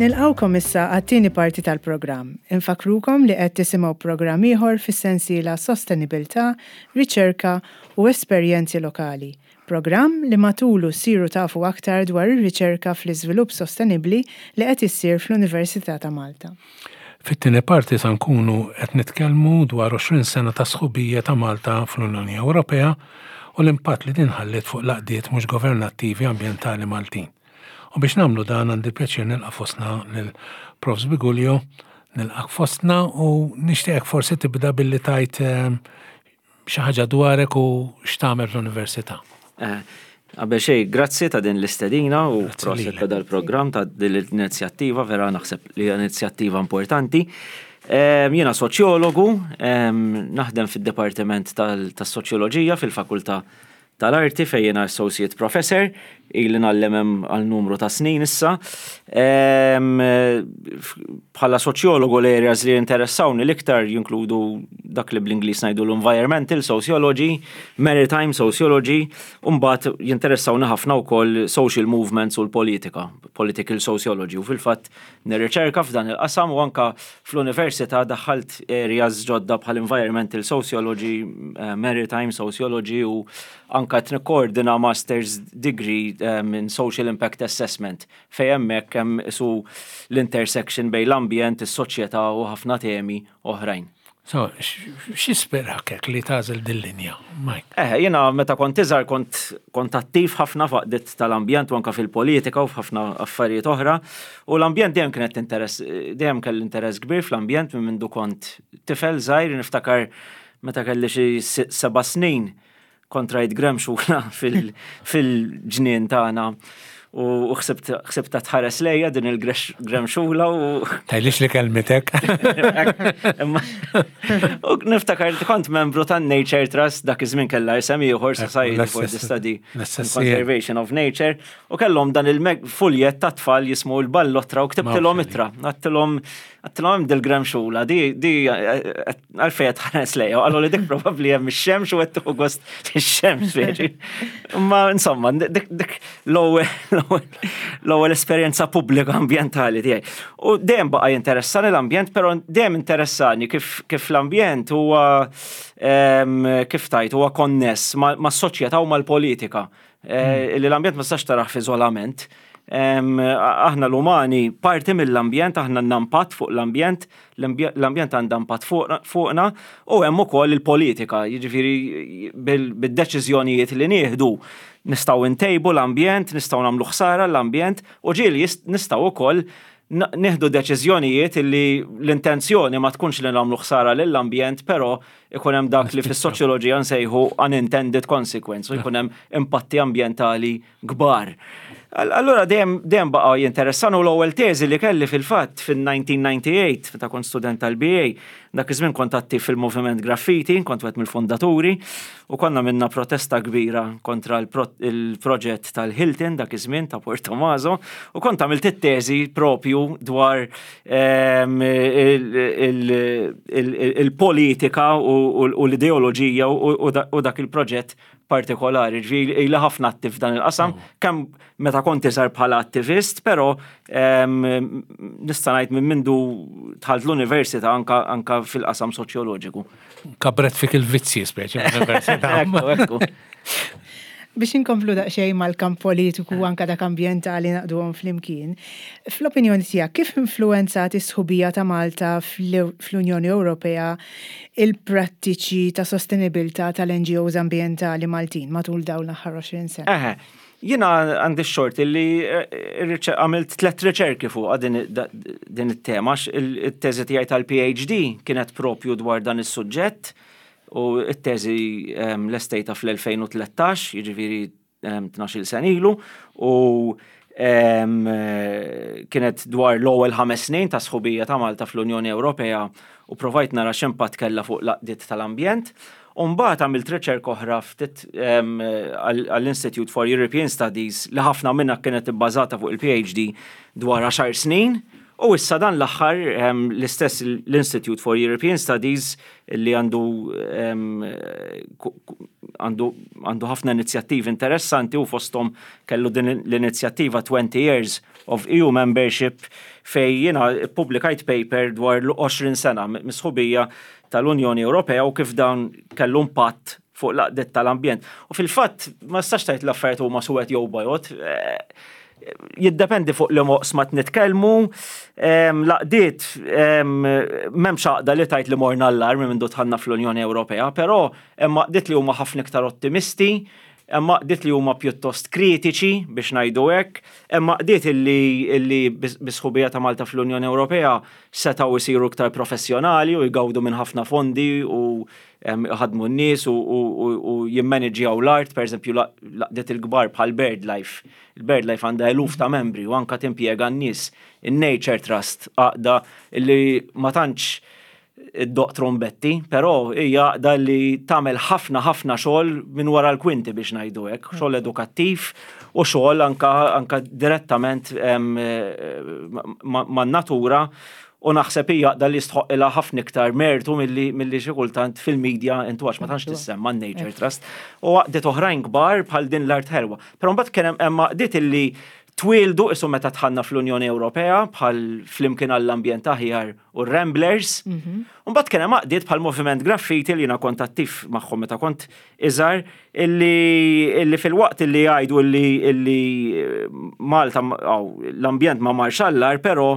Nilqawkom issa għat-tieni parti tal-programm. Infakrukom li qed tisimgħu programm ieħor fis-sensiela Sostenibilità, Riċerka u Esperjenzi Lokali. Programm li matulu ssiru tafu aktar dwar ir-riċerka fl-iżvilupp sostenibbli li qed issir fl-Università ta' Malta. Fit-tieni parti sa nkunu qed nitkellmu dwar għoxrin sena ta' sħubija ta' Malta fl-Unjoni Ewropea u l-impatt li din ħalliet fuq l-għaqdiet mhux governattivi ambjentali Maltin. U biex nagħmlu dan għandi pjaċir nilqa' fostna lil Profs Briguglio, nilqak fostna u nixtieqek forsi tibda billi tajt eh, xi ħaġa dwarek u x'tagħmel fl-università. Eh, qabel xejn, grazzi ta' din l-istedina u Grazzi prosit lilek. ta' dal-programm, ta' din l-inizjattiva, vera naħseb li hija inizjattiva importanti. Em, Jiena soċjologu, em, naħdem fid-Dipartiment tal- tas-Soċjoloġija fil-Fakultà tal-Arti fejn jiena Associate Professor, ili ngħallem hemm għal numru ta' snin issa. Em, f- Bħala soċjologu l-areas li interessawni l-iktar jinkludu dak li bl-Ingliż ngħidu l-environmental sociology, maritime sociology, u mbagħad jinteressawni ħafna wkoll social movements u l-politika, political sociology. U fil-fatt nirriċerka f'dan il-qasam u anka fl-università daħħalt areas ġodda bħal environmental sociology, eh, maritime sociology u anka qed nikkoordina master's degree um, in social impact assessment fejn hemmhekk hemm isu l-intersection bejn l-ambjent, is-soċjetà u ħafna temi oħrajn. So, x'ispirak hekk li tagħżel dil-linja, Mike? Eh, jiena meta kont iżgħar kont kont attiv ħafna f'għaqdiet tal-ambjent u anka fil-politika u f'ħafna affarijiet oħra. U l-ambjent dejjem kienet interess, dejjem kelli interess kbir fl-ambjent minn mindu kont tifel żgħir. Niftakar meta kelli xi se- seba' snin kont rajt gremxula fil- fil-ġnien tagħna. U ħsibtha tħares lejja din il-gremxula u. Tgħidlix li kellmitek. U niftakar kont membru tan Nature Trust, dak iż-żmien kellha isem ieħor, Society for the Study and Conservation of Nature, u kellhom dan il-fuljet ta' tfal jismu l-Ballotra u ktibtilhom ittra. Għedtilhom għedtilhom dil-gremxula, di di għalfejn tħares lejja, u qallu li dik probabbli hemm ix-xemx u qed tieħu gost ix-xemx speċi. Ma insomma, dik dik l-ewwel l-ewwel esperjenza pubblika ambjentali tiegħi. U dejjem baqa' jinteressani l-ambjent, però dejjem interessani kif kif l-ambjent huwa, kif tajt, huwa konness ma' soċjetà u mal-politika. Eh, li l-ambjent ma tistax tarah f'iżolament. Aħna l-umani parti mill-ambjent, aħna għandna impatt fuq l-ambjent, l-ambjent għandha impatt fuqna u hemm ukoll il-politika, jiġifieri bid-deċiżjonijiet li nieħdu nistgħu ntejbu l-ambjent, nistgħu nagħmlu ħsara l-ambjent u ġieli nistgħu wkoll nieħdu deċiżjonijiet li l-intenzjoni ma tkunx li nagħmlu ħsara lill-ambjent, però ikun hemm dak li fis-soċjoloġija nsejħu unintended consequence u jkun hemm impatti ambjentali kbar. Allura dejjem dejjem baqa' jinteressani u l-ewwel teżi li kelli fil-fatt fil-elf disa' mija u disgħa u disgħin, meta kont student tal-B A, dak iż-żmien kont attiv fil-moviment graffiti, kont wieħed mill-fondaturi u konna għamilna protesta kbira kontra il-proġett tal-Hilton dak iż-żmien ta' Portomaso u kont għamilt it-teżi propju dwar ehm, il-politika u l-ideoloġija u dak il-proġett partikolari, ġifieri ili ħafna attiv dan il-qasam, oh. kemm meta kont iżgħar bħala attivist, però nista' ngħid minn mindu dħalt l-università anka, anka fil-qasam soċjoloġiku. Kabret fik il-vizzji speċi l-università. Ekku, ekku. Biex inkomplu daqsxejn mal-kamp politiku, anka dak ambjentali, naqduhom flimkien. Fl-opinjoni tiegħek, kif influenzat is-sħubija ta' Malta fl-Unjoni Ewropea il-prattiċi ta' sostenibilità tal-N G Os ambjentali Maltin matul dawn l-aħħar għoxrin sena? Eħe, jiena għandi xorti li eh, għamilt tlet riċerki fuq din, din it-tema. Il-teżi tiegħi tal-P H D kienet propju dwar dan is-suġġett u it-teżi lestejtha fl-elfejn u tlettax, jiġifieri tnax-il sena ilu, u kienet dwar l-ewwel ħames snin ta' sħubija ta' Malta fl-Unjoni Ewropea u provajt nara x'impatt kellha fuq l-għaqdiet tal-ambjent. U mbagħad għamilt riċerka oħra ftit għall-Institute for European Studies li ħafna minnha kienet ibbażata fuq il-P H D dwar għaxar snin. U issa dan l-aħħar l-istess l-Institute for European Studies li għandu għandu għandu ħafna inizjattivi interessanti u fosthom kellu din l-inizjattiva twenty Years of E U Membership, fej jiena publikajt paper dwar l-għoxrin sena mis-sħubija tal-Unjoni Ewropea u kif dan kellu impatt fuq l-għaqdiet tal-ambjent. U fil-fatt ma tistax tgħid l-affarijiet huma suwed jew bojod. Jiddependi fuq liema oqsma nitkellmu, l-għaqdiet, m'hemmx għaqda li tgħid li morna għall-agħar minn mindu dħalna fl-Unjoni Ewropea, però hemm għaqdiet li huma ħafna iktar ottimisti, hemm għaqdiet li huma pjuttost kritiċi biex ngħidu hekk, hemm għaqdiet illi, illi bis-sħubija ta' Malta fl-Unjoni Ewropea setgħu jsiru iktar professjonali u jgawdu minn ħafna fondi u ħadmu n-nies u, u, u, u jimmaniġjaw l-art, per eżempju l-għaqdiet il-kbar bħal BirdLife. Il-BirdLife għandha eluf ta' membri u anka timpjega n-nies. Il-Nature Trust, għaqda illi ma tantx iddoqq trombetti, però hija għaqda li tagħmel ħafna ħafna xogħol minn wara l-kwinti biex ngħidu hekk, xogħol edukattiv u xogħol anka, anka direttament man-natura u naħseb hija għaqda li jistħoqqilha ħafna iktar mertu milli milli xi kultant fil-medja intu għax ma tantx tissemma Nature Trust. U għaqdiet oħrajn kbar bħal Din l-Art Ħelwa. Però mbagħad kien hemm għaqdiet illi twieldu isu meta dħalna fl-Unjoni Ewropea bħal Flimkien għall-Ambjent Aħjar u Ramblers. Mbagħad kien hemm għaqdiet bħal Moviment Graffiti li jiena kont attiv magħhom meta kont iżgħar, illi, illi fil-waqt illi jgħidu illi, illi Malta aw, l-ambjent ma marx għall-agħar, però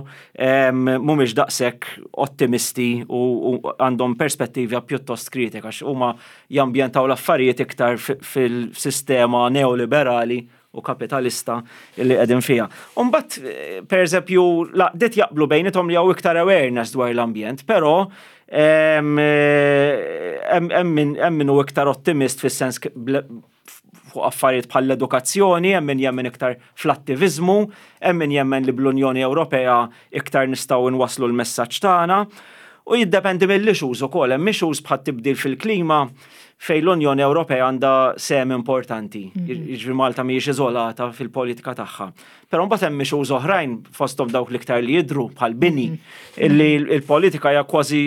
mhumiex daqshekk ottimisti u, u għandhom perspettiva pjuttost kritika għax huma jambjentaw l-affarijiet iktar fil-sistema neoliberali u kapitalista li qegħdin fiha. Umbagħad, per eżempju, l-għaqdiet jaqblu bejniethom li hawn iktar awareness dwar l-ambjent, però hemm min hu iktar ottimist fis-sens fuq affarijiet bħal l-edukazzjoni, hemm min jemmen iktar fl-attiviżmu, hemm min jemmen li bl-Unjoni Ewropea iktar nistgħu nwasslu l-messaġġ tagħna. U jiddependi mill-issues ukoll, hemm issues bħal tibdil fil-klima fejn l-Unjoni Ewropea għandha sehem importanti. Jiġifieri Malta mhijiex iżolata fil-politika tagħha. Però mbagħad hemm issues oħrajn, fosthom dawk l-iktar li jidru bħal bini, illi l-politika hija kważi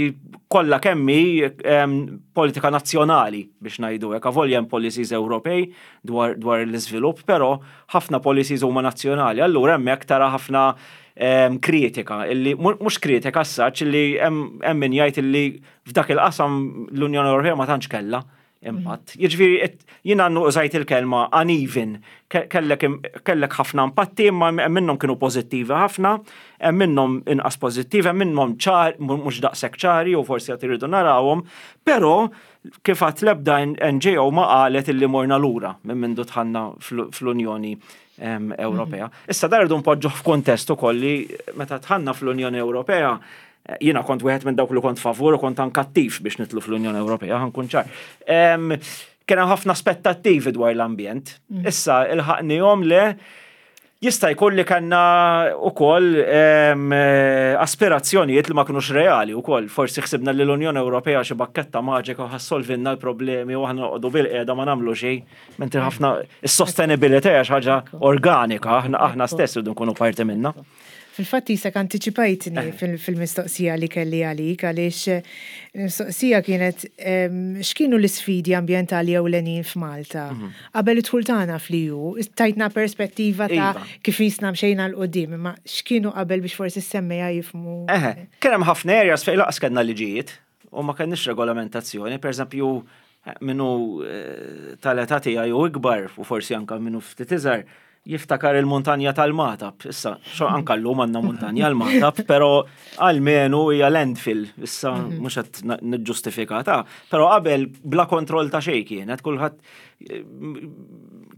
kollha kemm hi em, politika nazzjonali, biex ngħidu hekk. Avolja hemm policies Ewropej dwar, dwar l-iżvilupp, però ħafna policies huma nazzjonali. Allura hemmhekk tara ħafna em, kritika, illi mhux kritika as-such, illi hemm hemm min jgħid illi f'dak il-qasam l-Unjoni Ewropea ma tantx kellha impatt. Jiġifieri et- jiena użajt il-kelma uneven, Ke- kellek kellek ħafna impatti, imma hemm minnhom kienu pożittivi ħafna, hemm minnhom inqas pożittivi, hemm minnhom ċar, mhux daqshekk ċari u forsi qed iridu narawhom, però kif għedt, l-ebda N G O ma qalet illi morna lura minn mindu dħalna fl- fl-Unjoni em, Ewropea. Issa dan irridu npoġġuh f'kuntest ukoll li meta dħalna fl-Unjoni Ewropea, eh, jiena kont wieħed minn dawk li kont favur u kont anke attiv biex nidħlu fl-Unjoni Ewropea, ħa nkun ċar. Em, Kien hemm ħafna aspettattivi dwar l-ambjent. Issa ilħaqnihom le, jista' jkun li kellna wkoll em, eh, aspirazzjonijiet li ma kinux reali wkoll. Forsi ħsibna li l-Unjoni Ewropea xi bakketta maġika u ħa ssolvilna l-problemi u aħna noqogħdu bil-qiegħda ma nagħmlu xejn. Mentri ħafna is-sostenibilità hija xi ħaġa organika, aħna aħna stess irridu nkunu parti minnha. Fil-fatt jisek anticipajtni fil- fil-mistoqsija li kelli għalik, għaliex eh, il-mistoqsija kienet em, x'kienu l-isfidi ambjentali ewlenin f'Malta qabel id-dħul tagħna fl-E U. Tajtna perspettiva ta' Iva. kif jisna mxejna 'l quddiem, imma x'kienu qabel biex forsi s-semmiegħa jifhmu. Eħe, kien hemm ħafna areas fejn lanqas kellna liġijiet u ma kellniex regolamentazzjoni. Per eżempju, min hu eh, tal-età tiegħi u ikbar u forsi anka min hu ftit iżgħar jiftakar il-muntanja tal-Magħtab. Issa, xo anka llum għandna muntanja l-Magħtab, però almenu hija landfill, issa mhux qed na- niġġustifikata, però qabel bla kontroll ta' xejn kienet, kulħadd eh,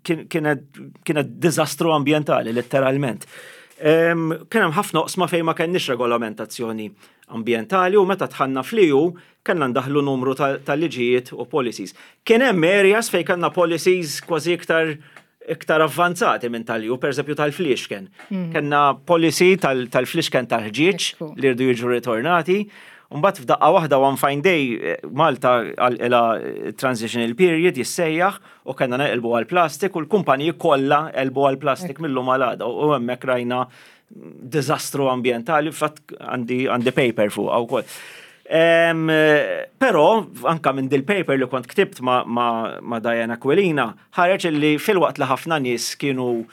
kien- kienet kienet diżastru ambjentali letteralment. Em, Kien hemm ħafna oqsma fejn ma kenniex regolamentazzjoni ambjentali u meta dħalna fl-E U kellna ndaħlu numru ta' ta' liġijiet u policies. Kien hemm areas fejn kellna policies kważi iktar iktar avvanzati minn tal-E U, per eżempju tal-fliexken. Kellna policy tal- tal-fliexken tal-ħġieġ Ekku. li rridu jiġu ritornati. Mbagħad f'daqqa waħda, one fine day, eh, Malta għal transitional period jissejjaħ, u kellna neqilbu għal plastik u l-kumpaniji kollha qelbu għal plastik mil-lum għal għada u hemmhekk rajna diżastru ambjentali, fatt għandi għandi paper fuq wkoll. Em, Però, anka minn dil-paper li kont ktibt ma, ma, ma Diana Aquilina, ħareġ li filwaqt li ħafna nies kienu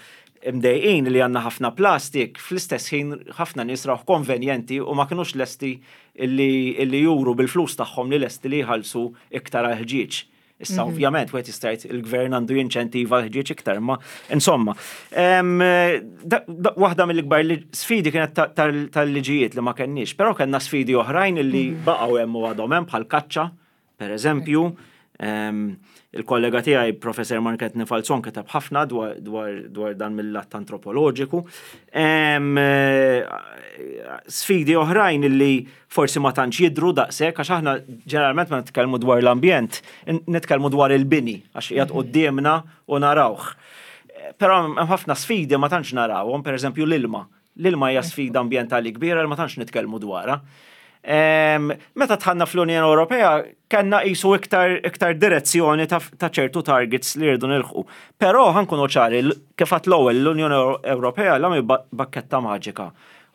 imdejqin li għandna ħafna plastik, fl-istess ħin ħafna nies rawh konvenjenti u ma kinux lesti illi, illi juru bil-flus tagħhom li lesti li jħallsu iktar għal ħġieġ. Issa ovvjament wieħed jista' jgħid il-gvern għandu jinċentiva l-ħġieġ iktar, ma insomma. Em, da- da- Waħda mill-ikbar li- sfidi kienet ta- tal- tal-liġijiet li ma kenniex, però kellna sfidi oħrajn illi baqgħu hemm u għadhom hemm, bħal kaċċa, per eżempju. Em, Il-kollega tiegħi, Professor Mark Anthony Falzon, kiteb ħafna dwar, dwar, dwar dan mill-lat antropoloġiku. Em, eh, Sfidi oħrajn illi forsi ma tantx jidru daqshekk, għax aħna ġeneralment ma nitkellmu dwar l-ambjent, nitkellmu dwar il-bini għax qiegħed quddiemna u narawh. Però hemm ħafna sfidi ma tantx narawhom, per eżempju l-ilma. L-ilma hija sfida ambjentali kbira li ma tantx nitkellmu dwarha. Em, Meta dħalna fl-Unjoni Ewropea kellna qisu iktar, iktar direzzjoni ta', ta' ċertu targets li rridu nilħqu. Però ħa nkunu ċari, l- kif għedt l-ewwel, l-Unjoni Ewropea la mhi ba- bakketta maġika.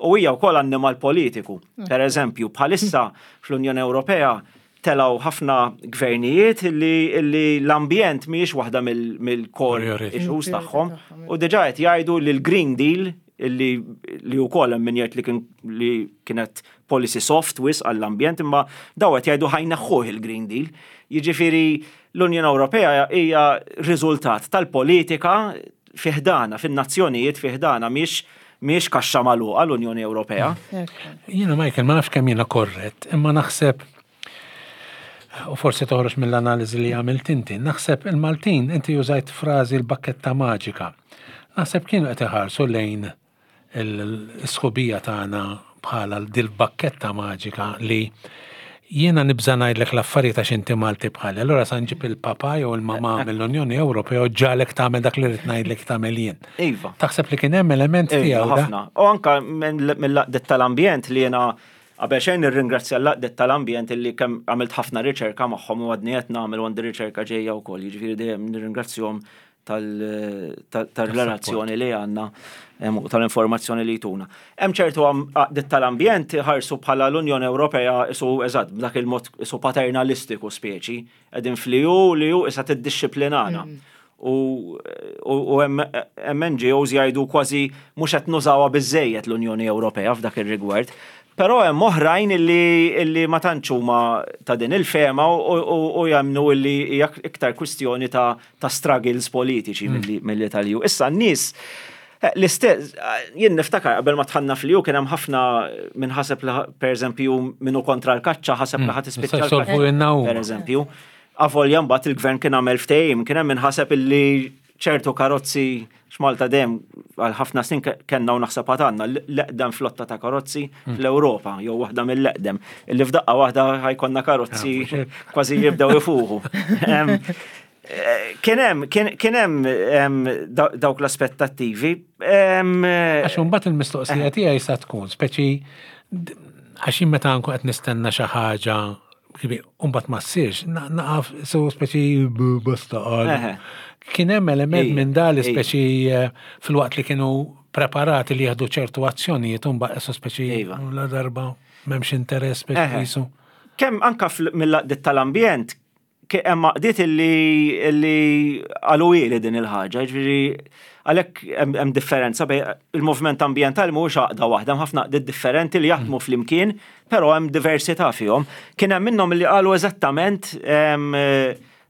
U hija wkoll annimal politiku. Per eżempju, bħalissa fl-Unjoni Ewropea telgħu ħafna gvernijiet li, li l-ambjent mhijiex waħda mill- mill-core Priority. issues tagħhom. U diġà qed jgħidu li l-Green Deal illi li wkoll hemm min jgħid li kien li kienet policy soft wisq għall-ambjent, imma daw qed jgħidu ħa jneħħuh il-Green Deal. Jiġifieri l-Unjoni Ewropea hija riżultat tal-politika fi ħdanha, fin-nazzjonijiet fi ħdanha, mhix mhix kaxxa magħluqa l-Unjoni Ewropea. Jiena, Michael, ma nafx kemm jiena korrett, imma naħseb, u forsi toħroġ mill-analiżi li għamilt inti, naħseb il-Maltin, inti użajt frażi l-bakketta maġika. Naħseb kienu qed iħarsu lejn il-sħubija tagħna bħala dil-bakketta maġika li Jiena nibża' ngħidlek l-affarijiet għax inti Malti bħali, allura sa nġib il-papa jew il-mama mill-Unjoni Ewropea u ġalek tagħmel dak li rrid ngħidlek tagħmel jien. Iva. Taħseb li kien hemm element Iva, tiegħu da? ħafna. U anka mill-għaqdiet tal-ambjent li jiena qabel xejn nirringrazzja l-għaqdiet tal-ambjent illi kemm għamilt ħafna riċerka magħhom u għadni qed nagħmel u għandi riċerka ġejja wkoll, jiġifieri dejjem nirringrazzjahom tal-relazzjoni li għandna em, u tal-informazzjoni li jtuna. Hemm ċertu għaqdiet tal-ambjent ħarsu bħala l-Unjoni Ewropea isu eżatt b'dak il-mod isu paternalistiku speċi, qegħdin fl-E U li ju issa tiddixxiplinana. U, u, u hemm hemm N G Os jgħidu kważi mhux qed nużawha biżejjed l-Unjoni Ewropea f'dak ir-rigward. Però hemm oħrajn illi, illi ma tantx huma ta' din il-fehma u, u, u jemmnu illi hija iktar kwistjoni ta', ta' struggles politiċi milli, milli tal-E U. Issa n-nies eh, l-istess, jien niftakar qabel ma dħalna fl-E U kien hemm ħafna min ħaseb li per eżempju minnu kontra l-kaċċa ħaseb li ħadd Issa tispiċċa jsolvu l-kaċċa. huma. Per eżempju. Avolja mbagħad il-gvern kien għamel ftehim, kien hemm min ħaseb illi ċertu karozzi x'Malta dejjem għal ħafna snin ke- kellna u naħseb għad għandna l-eqdem flotta ta' karozzi fl-Ewropa, jew waħda mill-eqdem. Illi f'daqqa waħda ħa jkollna karozzi Ah, mhux hekk. kważi jibdew ifuħu. Em, eh, Kien hemm kien kien hemm em, daw- dawk l-aspettattivi. Em, Għax imbagħad il-mistoqsija tiegħi sa tkun speċi d- għax jien meta nkun qed nistenna xi ħaġa mbagħad ma ssirx, na- naqaf so speċi b- basta qal. Eħe. Kien hemm element Ija, minn dali ija. speċi eh, fil-waqt li kienu preparati li jieħdu ċertu azzjonijiet u mbagħad so speċi Iva. la darba m'hemmx interess speċi Eħe. jisu. Kemm anka fl- mill-għaqdiet tal-ambjent, ke- hemm għaqdiet illi illi qalu ili din il-ħaġa, ġifieri għalhekk hemm hemm differenza bejn il-movement ambjentali mhuwiex għaqda waħda, hemm ħafna għaqdiet differenti li jaħdmu flimkien, però hemm diversità fihom. Kien hemm minnhom li qalu eżattament em,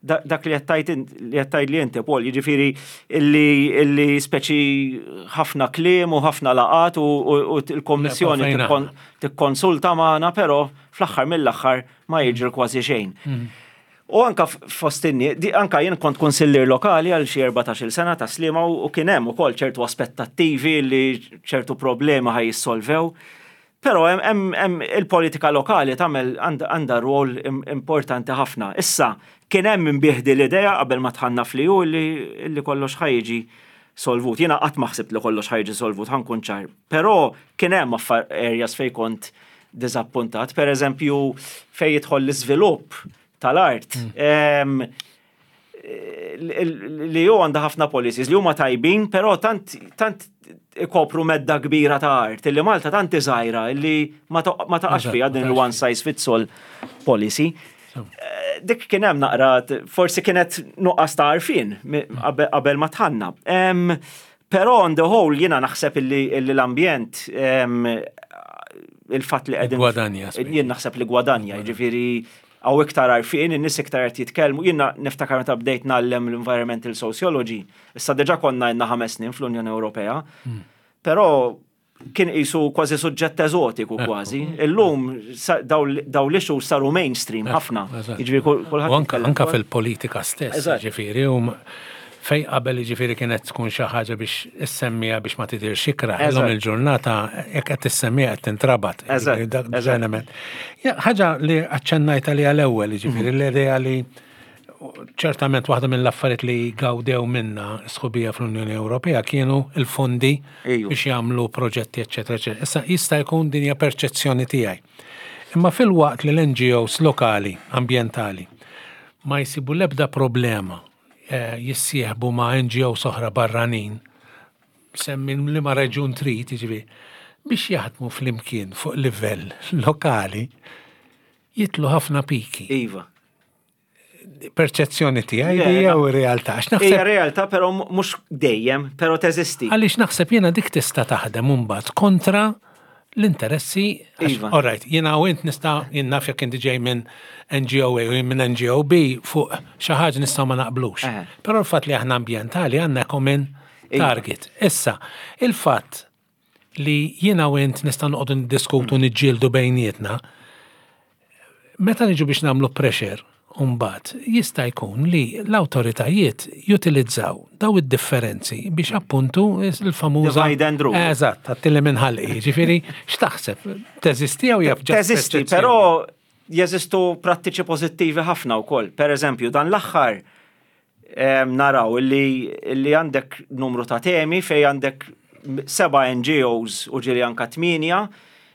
da- dak li qed li qed tgħid li inti Paul, jiġifieri illi illi speċi ħafna kliem u ħafna laqat u, u, u l-Kommissjoni Fejn tikkon- tikkonsulta magħna, però fl-aħħar mill-aħħar ma jiġri kważi xejn. U anka f- fost in-nies, di- anka jien kont konsillier lokali għal xi erbatax-il sena ta' Sliema u u kien hemm ukoll ċertu aspettattivi li ċertu problemi ħa jissolvew. Però hemm- hemm hemm il-politika lokali tagħmel għandha għandha rwol im- importanti ħafna. Issa kien hemm min biegħ l-idea qabel ma dħalna fl-E U li, li kollox ħa jiġi solvut. Jiena qatt ma ħsibt li kollox ħa jiġi solvut, ħa nkun ċar. Però kien hemm affar areas fej kont diżappuntat. Per eżempju, fej jidħol l-iżvilupp tal-art. Em, li ju għandha ħafna policies li huma tajbin, però tant tant ikopru medda kbira ta' art, illi Malta tant iżgħira illi ma ta- ma taqax Eżatt, fiha ma din taqax il-one size fits all policy. Eh, Dik kien hemm naqra, forsi kienet nuqqas ta' għarfien mi- qabel qabel ma dħalna. Em, Però on the whole jiena naħseb illi illi l-ambjent em, il-fatt li qegħdin Gwadanja, speċi. Jien naħseb li gwadanja, jiġifieri hawn iktar għarfien, in-nies iktar qed jitkellmu. Jiena niftakar meta bdejt ngħallem l-environmental sociology, issa diġà konna għandna ħames snin fl-Unjoni Ewropea, però kien qisu kważi suġġett eżotiku kważi. Illum sa- daw daw l-issues saru mainstream ħafna. Eżatt. Jiġifieri kull- kulħadd U anka, jitkellem anka dwar- fil-politika stess, Eżatt. ġifieri, u m- fej qabel ġifieri kienet tkun xi ħaġa biex issemmija biex ma tidirx ikrah. Illum Eżatt. il-ġurnata jekk qed tissemmija qed tintrabat. Eżatt, Ġifieri dak eżatt. element. Ja, ħaġa li aċċennajt għaliha l-ewwel, ġifieri Mhm. l-idea li ċertament waħda mill-affarijiet li gawdew minna sħubija fl-Unjoni Ewropea kienu il-fondi Ejju. biex jagħmlu proġetti, eċetera, eċetera. Issa jista' jkun din hija perċezzjoni tiegħi. Imma fil-waqt li l-N G Os lokali, ambjentali, ma jsibu l-ebda problema eh, jissieħbu ma' N G Os oħra barranin, semmi li ma reġun trid, jiġifieri, biex jaħdmu flimkien fuq livell lokali, jitlu ħafna piki. Iva. Perċezzjoni tiegħi Le, di jew na- realtà. Għax Hija naħseb realtà, però mhux dejjem, però teżisti. għaliex naħseb jiena dik tista' taħdem imbagħad kontra l-interessi. għax, Iva. All right, jiena u int nista' jien naf jekk inti ġej minn N G O A u jien minn N G O B fuq xi ħaġa nistgħu ma naqblux. Eħe. Però l-fatt li aħna ambjentali għandna common Iva. target. Issa, il-fatt li jiena u int nista' noqogħdu niddiskutu niġġieldu bejnietna, meta niġu biex nagħmlu pressure mbagħad jista' jkun li l-awtoritajiet jutilizzaw daw id-differenzi biex appuntu il-famuża Divide and rule. Eżatt, għattilli minn ħalqi. Ġifieri, x'taħseb? Teżisti jew jaf Teżisti, però jeżistu prattiċi pożittivi ħafna wkoll. Per eżempju, dan l-aħħar naraw li, li għandek numru ta' temi fej għandek seba' N G Os u ġieli anka tmienja,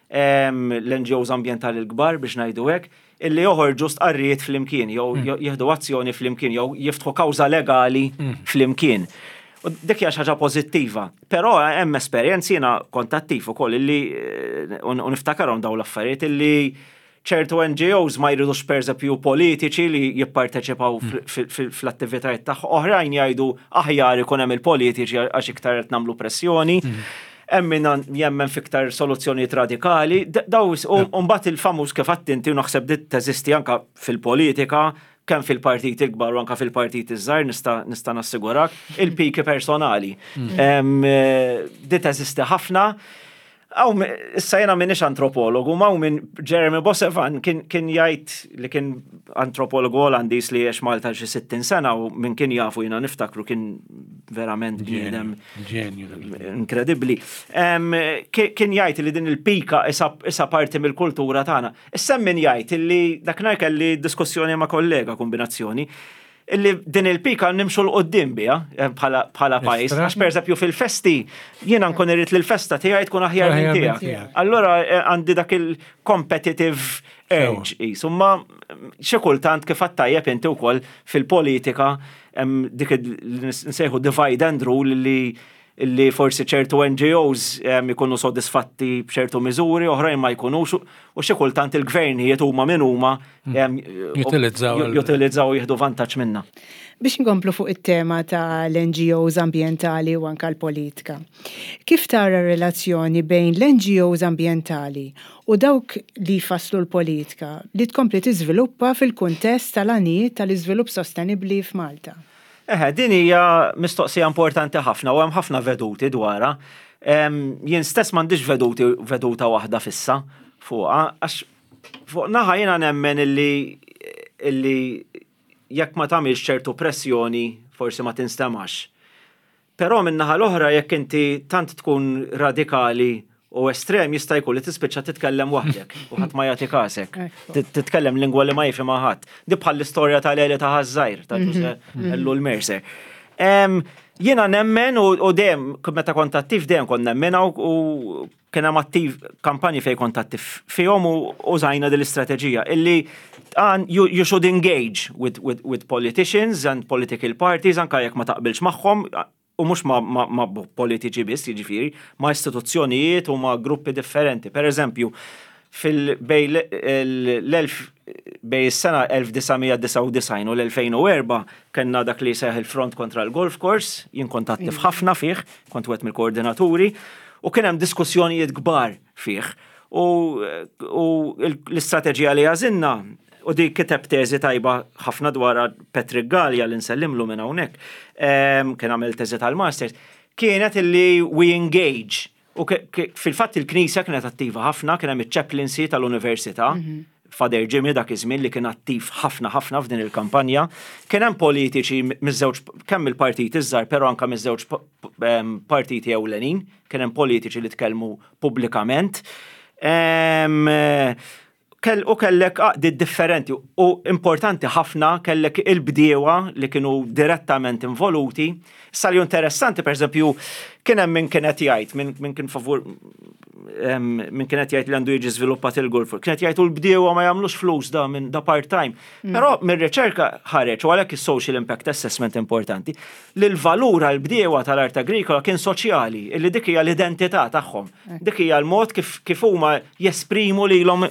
l-N G Os ambientali l-kbar biex ngħidu hekk, illi joħorġu stqarrijiet flimkien, jew mm. jieħdu azzjoni flimkien, jew jiftħu kawża legali mm. flimkien. U dik hija xi ħaġa pożittiva. Però hemm esperjenzi, jiena kont attiv ukoll illi eh, u niftakarhom dawn l-affarijiet, illi ċertu N G Os ma jridux, per eżempju, politiċi li jipparteċipaw mm. fl-attivitajiet tagħhom. Oħrajn jgħidu aħjar ikun hemm il-politiċi għax iktar qed nagħmlu pressjoni. Mm. Hemm min jemmen fiktar soluzzjonijiet radikali. Daw u mbagħad il-famuż, kif inti, u naħseb dit teżisti anka fil-politika, kemm fil-partit il-kbar u anka fil-partit iż-żgħar, nista' nista' nassigurak, il-piki personali. Mm. Eh, dit teżisti ħafna. Għaw, issa jena minix antropologu, ma minn Jeremy Boissevain kien, kien jgħid, li kien antropologu Olandis li għex Malta xi sittin sena u minn kien jafu, jena niftakru, kien verament bniedem inkredibbli. Kien jgħid li din il-pika issa parti mill-kultura tagħna. Issa min jgħid li, dakinhar kelli diskussjoni ma' kollega, kombinazzjoni, illi din il-pika nimxu 'l quddiem biha eh, bħala pajjiż. Għax, per eżempju, fil-festi jiena nkun irrid li l-festa tiegħi tkun aħjar minn tiegħek. Allora eh, għandi dak il-competitive urge. Insomma, xi kultant, kif tajjeb inti wkoll, fil-politika dik nsejħu divide and rule, li li forsi ċertu N G Os ikunu sodisfatti b'ċertu miżuri, oħrajn ma jkunux, u xi kultant il-gvernijiet, huma min huma, jutilizzaw jutilizzaw, jieħdu vantaġġ minna. Biex nkomplu fuq it-tema ta' l-N G Os ambientali u anka l-politika. Kif tara relazzjoni bejn l-N G Os ambientali u dawk li jfasslu l-politika li tkompli tiżviluppa fil-kuntest tal-għanijiet tal-iżvilupp sostenibbli f'Malta? Eħe, din hija mistoqsija importanti ħafna u hemm ħafna veduti dwarha. Jien stess m'għandix veduti veduta waħda fissa fuqha, għax fuq naħa jiena nemmen illi illi jekk ma tagħmilx ċertu pressjoni forsi ma tinstemax. Però minn naħa l-oħra, jekk inti tant tkun radikali u estrem, jista' jkun li tispiċċa titkellem waħdek u ħadd ma jagħti kasek. Titkellem lingwa li ma jifhimha ħadd. Di bħal l-istorja tal-Għeli ta' Ħaż-Żgħir ta' Ġuże Ellul Mercer. Jiena nemmen u dejjem meta kont attiv dejjem kont nemmen u kien hemm attiv kampanji fejn kont attiv fihom u użajna din l-istrateġija illi you, you should engage with, with, with politicians and political parties anka jekk ma taqbilx magħhom, u mhux ma, ma, ma politiċi biss, jiġifieri, ma istituzzjonijiet u ma gruppi differenti. Per eżempju, fil-bej l-elf bej is-sena elf disa' mija disgħa u disgħin u l-elfejn u erbgħa kellna dak li seħ il-front kontra l-golf course, jien kont attiv ħafna fih, kont wieħed mill-koordinaturi, u kien hemm diskussjonijiet kbar fih. U, u l-istrateġija li għażilna, u di kiteb teżi tajba ħafna dwar Patrick Gallia, li nsellimlu minn hawnhekk, kien għamel teżi tal-masters, kienet illi we engage. U fil-fatt il-Knisja kienet attiva ħafna, kien hemm iċ-chaplaincy tal-Università, mhm. Father Jimmy dak iż-żmien li kien attiv ħafna ħafna f'din il-kampanja. Kien hemm politiċi miż-żewġ, kemm il-partit iż-żgħar, però anke miż-żewġ partiti ewlenin, kien hemm politiċi li tkellmu pubblikament. Kell, u kellek għaqdiet differenti u importanti ħafna kellek il-bdiewa li kienu direttament involuti. Issa li interessanti, per eżempju, kien hemm min kienet jgħid, min, min kien favur, min kienet jgħid li għandu jiġi żviluppat il-golf, kienet jgħid u l-bdiewa ma jagħmlux flus da minn da part-time. Mm. Però mir-riċerka ħareġ, u għalhekk is-social impact assessment importanti, li l-valur għal-bdiewa tal-art agrikola kien soċjali, illi dik hija l-identità tagħhom. Dik hija l-mod kif, kif huma jesprimu lilhom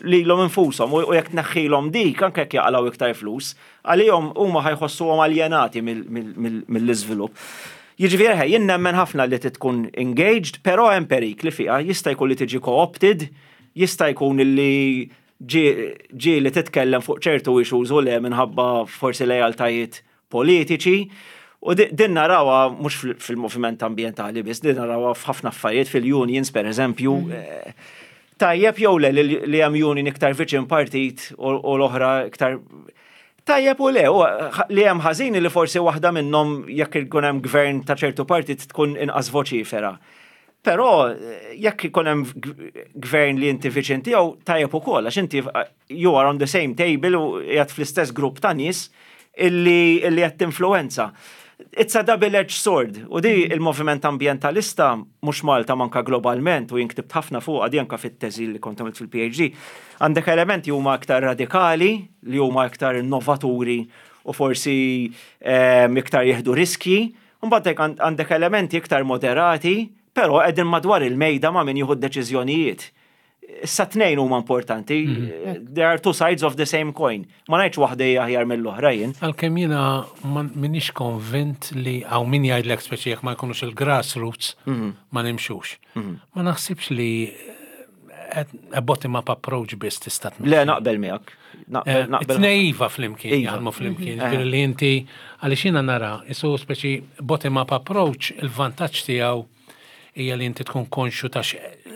lilhom infushom u jekk tneħħilhom dik, anke jekk jaqalgħu iktar flus, għalihom huma ħa jħossuhom aljenati mill-iżvilupp. Jiġifieri jien nemmen ħafna li tkun engaged, però hemm perikli fiha, jista' jkun li tiġi co-opted, jista' jkun li ġi li titkellem fuq ċertu issues u le minħabba forsi lejaltajiet politiċi. U din narawha mhux fil-moviment ambjentali biss, din narawha f'ħafna affarijiet, fil-unions, per eżempju. Mm. Eh, tajjeb jew le li hemm union iktar viċin partit u l-oħra iktar? Tajjeb u le, li hemm ħażin li forsi waħda minnhom, jekk ikun hemm gvern ta' ċertu partit, tkun inqas voċifera. Però eh, jekk ikun hemm gvern li inti viċin tiegħu, tajjeb ukoll, għax inti eh, you are on the same table u qiegħed fl-istess grupp ta' nies illi illi qed tinfluwenza. It's a double-edged sword. U di il-moviment ambientalista, mhux Malta, manka globalment, u jien ktibt ħafna fuq għadi anka fit-teżi li kont għamilt fil-P H D. Għandek elementi huma aktar radikali, li huma aktar innovaturi u forsi ehm, iktar jieħdu riski. Mbagħad għandek elementi iktar moderati, però qegħdin madwar il-mejda ma' min jieħu d-deċiżjonijiet. Issa tnejn huma importanti. There are two sides of the same coin. Ma ngħidx waħda hija aħjar mill-oħra jien. Għalkemm jiena m'iniex konvint li hawn min jgħidlek, speċi jekk ma jkunux il-grassroots ma nimxux. Ma naħsibx li a bottom-up approach biss tista' tmexxi. Le, naqbel miegħek. Naqbel, naqbel. Tnejn iva flimkien, Iva. jaħdmu flimkien. Ġifieri li inti, għaliex jiena nara, isu speċi bottom-up approach, il-vantaġġ tiegħu hija li inti tkun konxu ta'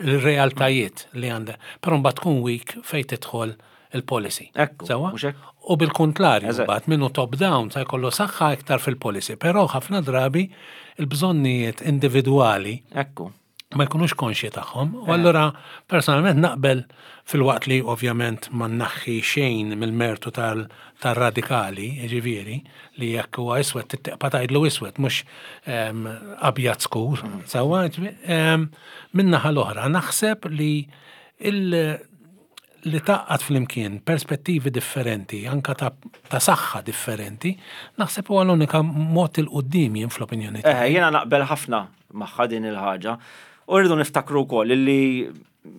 il-realtajiet li għandek. Però mbagħad tkun weak fejn tidħol il-policy. Ekku, Sewwa? Mhux hekk? U bil-kontrarju, Eżatt. mbagħad minnu top down sa jkollu saħħa iktar fil-policy, però ħafna drabi il-bżonnijiet individwali Ekku. ma jkunux konxji tagħhom. U allura personalment naqbel, filwaqt li ovvjament ma naħħi xejn mill-mertu tal-radikali, ġifieri, li jekk huwa iswed tibqa' tgħidlu iswed, mhux em, abjad skur. Sewwa, ġifieri, em, min-naħa l-oħra naħseb li il- li tgħaqqad flimkien perspettivi differenti, anka ta', ta' saħħa differenti, naħseb huwa l-unika mod 'il quddiem jien fl-opinjoni Eh, jiena naqbel ħafna magħha din il-ħaġa. U rridu niftakru wkoll illi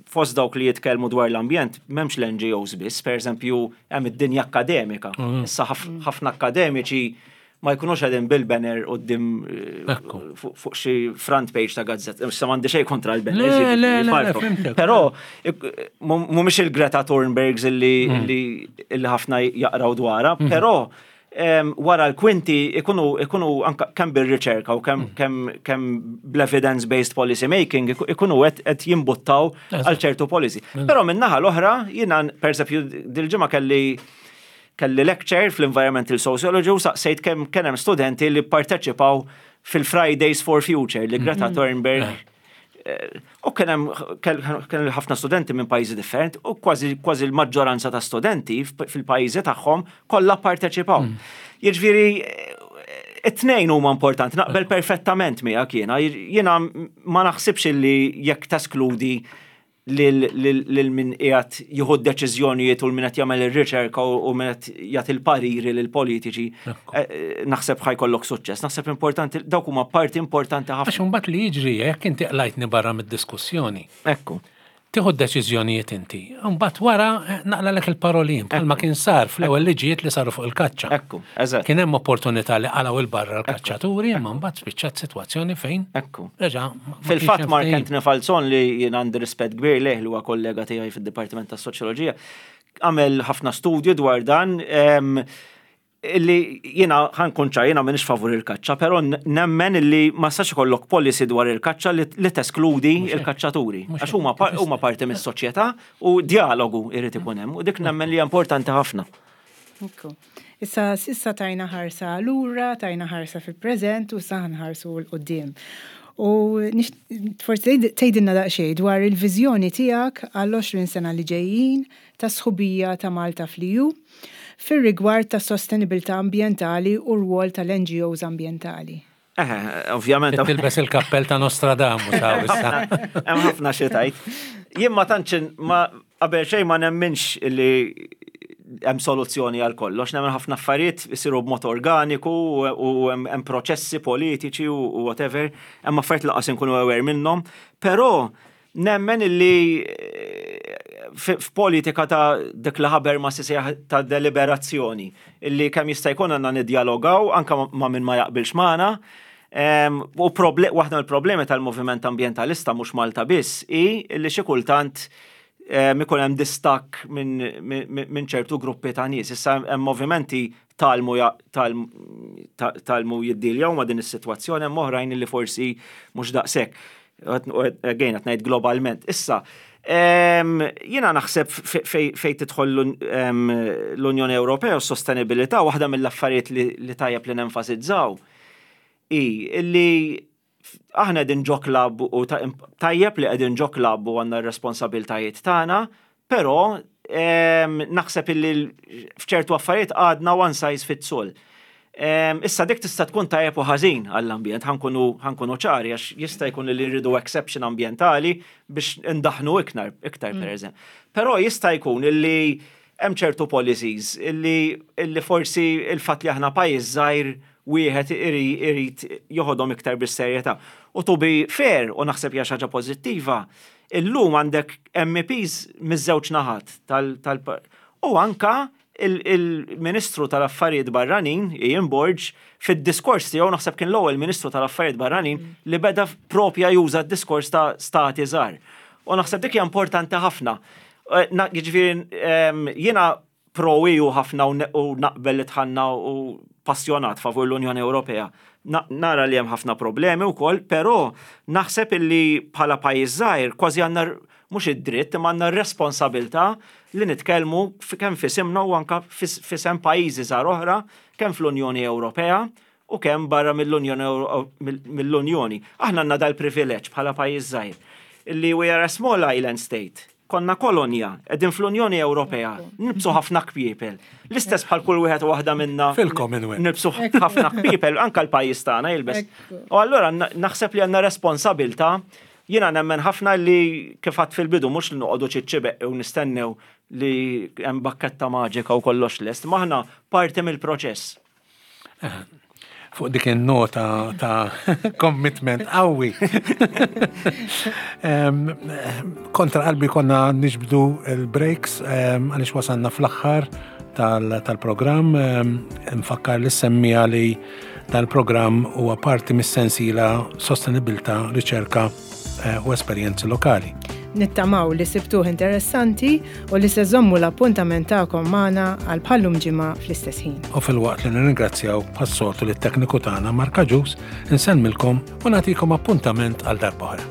fost dawk li jitkellmu dwar l-ambjent m'hemmx l-N G Os biss, per eżempju, hemm id-dinja akademika. Issa ħaf- ħafna akademiċi ma jkunux qegħdin bil-banner quddiem eh, Ekku. fuq fuq xi front page ta' gazzetta. Issa m'għandi xejn kontra l-banners. Le, le, le, le, farfru. fhimtek. Però ik- mhumiex il-Greta Thunbergs illi illi illi ħafna jaqraw dwarha, però em, wara l-kwinti ikunu ikunu anka kemm bir-riċerka u kemm kemm kemm bl-evidence-based policy making iku- ikunu qed qed jimbuttaw għal ċertu policy. Però min-naħa l-oħra, jiena pereżempju dil-ġimgħa kelli kelli lecture fl-Environmental Sociology u saqsejt kemm kien hemm studenti li parteċipaw fil-Fridays for Future li Greta Thunberg. Eh, U kien hemm kien ħafna studenti minn pajjiżi differenti u kważi kważi l-maġġoranza ta' studenti fil-pajjiżi tagħhom kollha parteċipaw. Jiġifieri eh, it-tnejn huma importanti, naqbel perfettament miegħek jiena. Jiena ma naħsibx li jekk teskludi lil lil min qiegħed jieħu d-deċiżjonijiet u l min qed jagħmel ir-riċerka u u min qed jagħti l-pariri lil politiċi, eh, eh, naħseb ħa jkollok suċċess. Naħseb importanti, dawk huma parti importanti ħafna. Għax mbagħad li jiġri jekk inti qlajtni barra mid-diskussjoni, Ekku. tieħu d-deċiżjonijiet inti. Mbagħad wara eh, naqlalek il-parolin bħalma kien sar fl-ewwel liġijiet li saru fuq il-kaċċa. Ekku, eżatt. Kien hemm opportunità li qalgħu 'il barra l-kaċċaturi, imma mbagħad spiċċat sitwazzjoni fejn Ekku. reġa' ma- ma Fil-fatt kienx hemm Mark ftehim. Anthony Falzon, li jien għandi rispett kbir lejh, li huwa kollega tiegħi fid-Dipartiment tas-Soċjoloġija, għamel ħafna studju dwar dan em, illi jiena ħa nkun ċar, jiena m'iniex favur il-kaċċa, però nemmen illi ma sax ikollok policy dwar il-kaċċa li, li teskludi il-kaċċaturi. Mhux Għax huma par- huma parti mis-soċjetà u dialogu irid ikun hemm u dik nemmen li hija importanti ħafna. Ekku. Issa s'issa tajna ħarsa lura, tajna ħarsa fil-preżent u sa nħarsu 'l quddiem. U nix- forsi tgħidilna daqsxejn dwar il-viżjoni tiegħek għall-għoxrin sena li ġejjin ta' sħubija ta' Malta fl-E U fir-rigward ta' sostenibilità ambjentali u rwol tal-N G Os ambjentali. Eh, ovvjament. Tilbes il-kappell ta' Nostradamus hawn issa. Hemm ħafna xi tgħid. Jien ma tantx ma qabel xejn ma nemminx li hemm soluzzjoni għal kollox, nemmen ħafna affarijiet isiru b'mod organiku u u hemm hemm proċessi politiċi u u whatever, hemm affarijiet lanqas inkunu aware minnhom, però nemmen illi eh, f- f'politika ta' dik li Habermas isejjaħ ta' deliberazzjoni, illi kemm jista' jkun għandna niddialogaw anka ma' min ma jaqbilx magħna. Em, U proble waħda mill-problemi tal-moviment ambientalista, mhux Malta biss, hi illi xi kultant em, ikun hemm distakk minn min, min ċertu gruppi ta' nies. Issa hemm movimenti tgħallmu ja- tgħallmu ta- tgħallmu jiddiljaw ma' din is-sitwazzjoni, hemm oħrajn li forsi mhux daqshekk. Again, qed ngħid globalment. Issa, em, jiena naħseb fej fej tidħol l- em, l-Unjoni Ewropea u s-sostenibilità, waħda mill-affarijiet li, li tajjeb li nenfasizzaw i illi Aħna qegħdin ġo club u tajjeb li qegħdin ġo club u għandna r-responsabiltajiet tagħna, però naħseb illi f'ċertu affarijiet għadna one size fits all. Issa dik tista' tkun tajjeb u ħażin għall-ambjent, ħa nkunu ċari, għax jista' jkun li rridu exception ambjentali biex indaħnu iktar, iktar per eżempju. Però jista' jkun illi hemm ċertu policies illi, illi forsi il-fatt li aħna pajjiż żgħir wieħed irid joħodhom iktar bis-serjetà. U to be fair, u naħseb hija xi ħaġa pożittiva, illum għandek M E Ps miż-żewġ naħat tal, tal u anka il-Ministru tal-Affarijiet Barranin, Ian Borg, fid-diskors tiegħu, naħseb kien l-ewwel Ministru tal-Affarijiet Barranin li beda propja juża d-diskors ta' stati żgħar. U naħseb dik hija importanti ħafna. Eh, jiġifieri jiena pro-E U ħafna u naqbel li dħalna u passjonat favur l-Unjoni Ewropea. Nara li hemm ħafna problemi wkoll, però naħseb illi bħala pajjiż żgħir kważi għandna mhux id-dritt imma għandna r-responsabilità li nitkellmu kemm f'isimna u anka f'isem pajjiżi żgħar oħra, kemm fl-Unjoni Ewropea u kemm barra mill-Unjoni. Aħna għandna dal-privileġġ bħala pajjiż żgħir illi we are a small island state, konna kolonja, qegħdin fl-Unjoni Ewropea, nilbsu ħafna kpiepel. L-istess bħal kull wieħed u waħda minna. Fil-Commonwealth. Nilbsu ħafna kpiepel, anka l-pajjiż tagħna jilbes. U allura naħseb li għandna responsabilità. Jiena nemmen ħafna li, kif għedt fil-bidu, mhux li noqogħdu ċiċċibeq u nistennew li hemm bakketta maġika u kollox lest, aħna parti mill-proċess. Fuq dik il-nota ta' commitment qawwi. Kontra qalbi konna niġbdu il-breaks għaliex wasalna fl-aħħar tal-programm. Nfakkar lis-semmiegħa li tal-programm huwa parti mis-sensiela Sostenibilità, Riċerka eh, u Esperjenzi Lokali. Nittamaw li sibtuh interessanti u li se żommu l-appuntament tagħkom magħna għal bħal-lum ġimgħa fl-istess ħin. U filwaqt li nirringrazzjaw bħas-soltu lit-tekniku tagħna Marka Ġus, insellmilkom u nagħtikom appuntament għal darba oħra.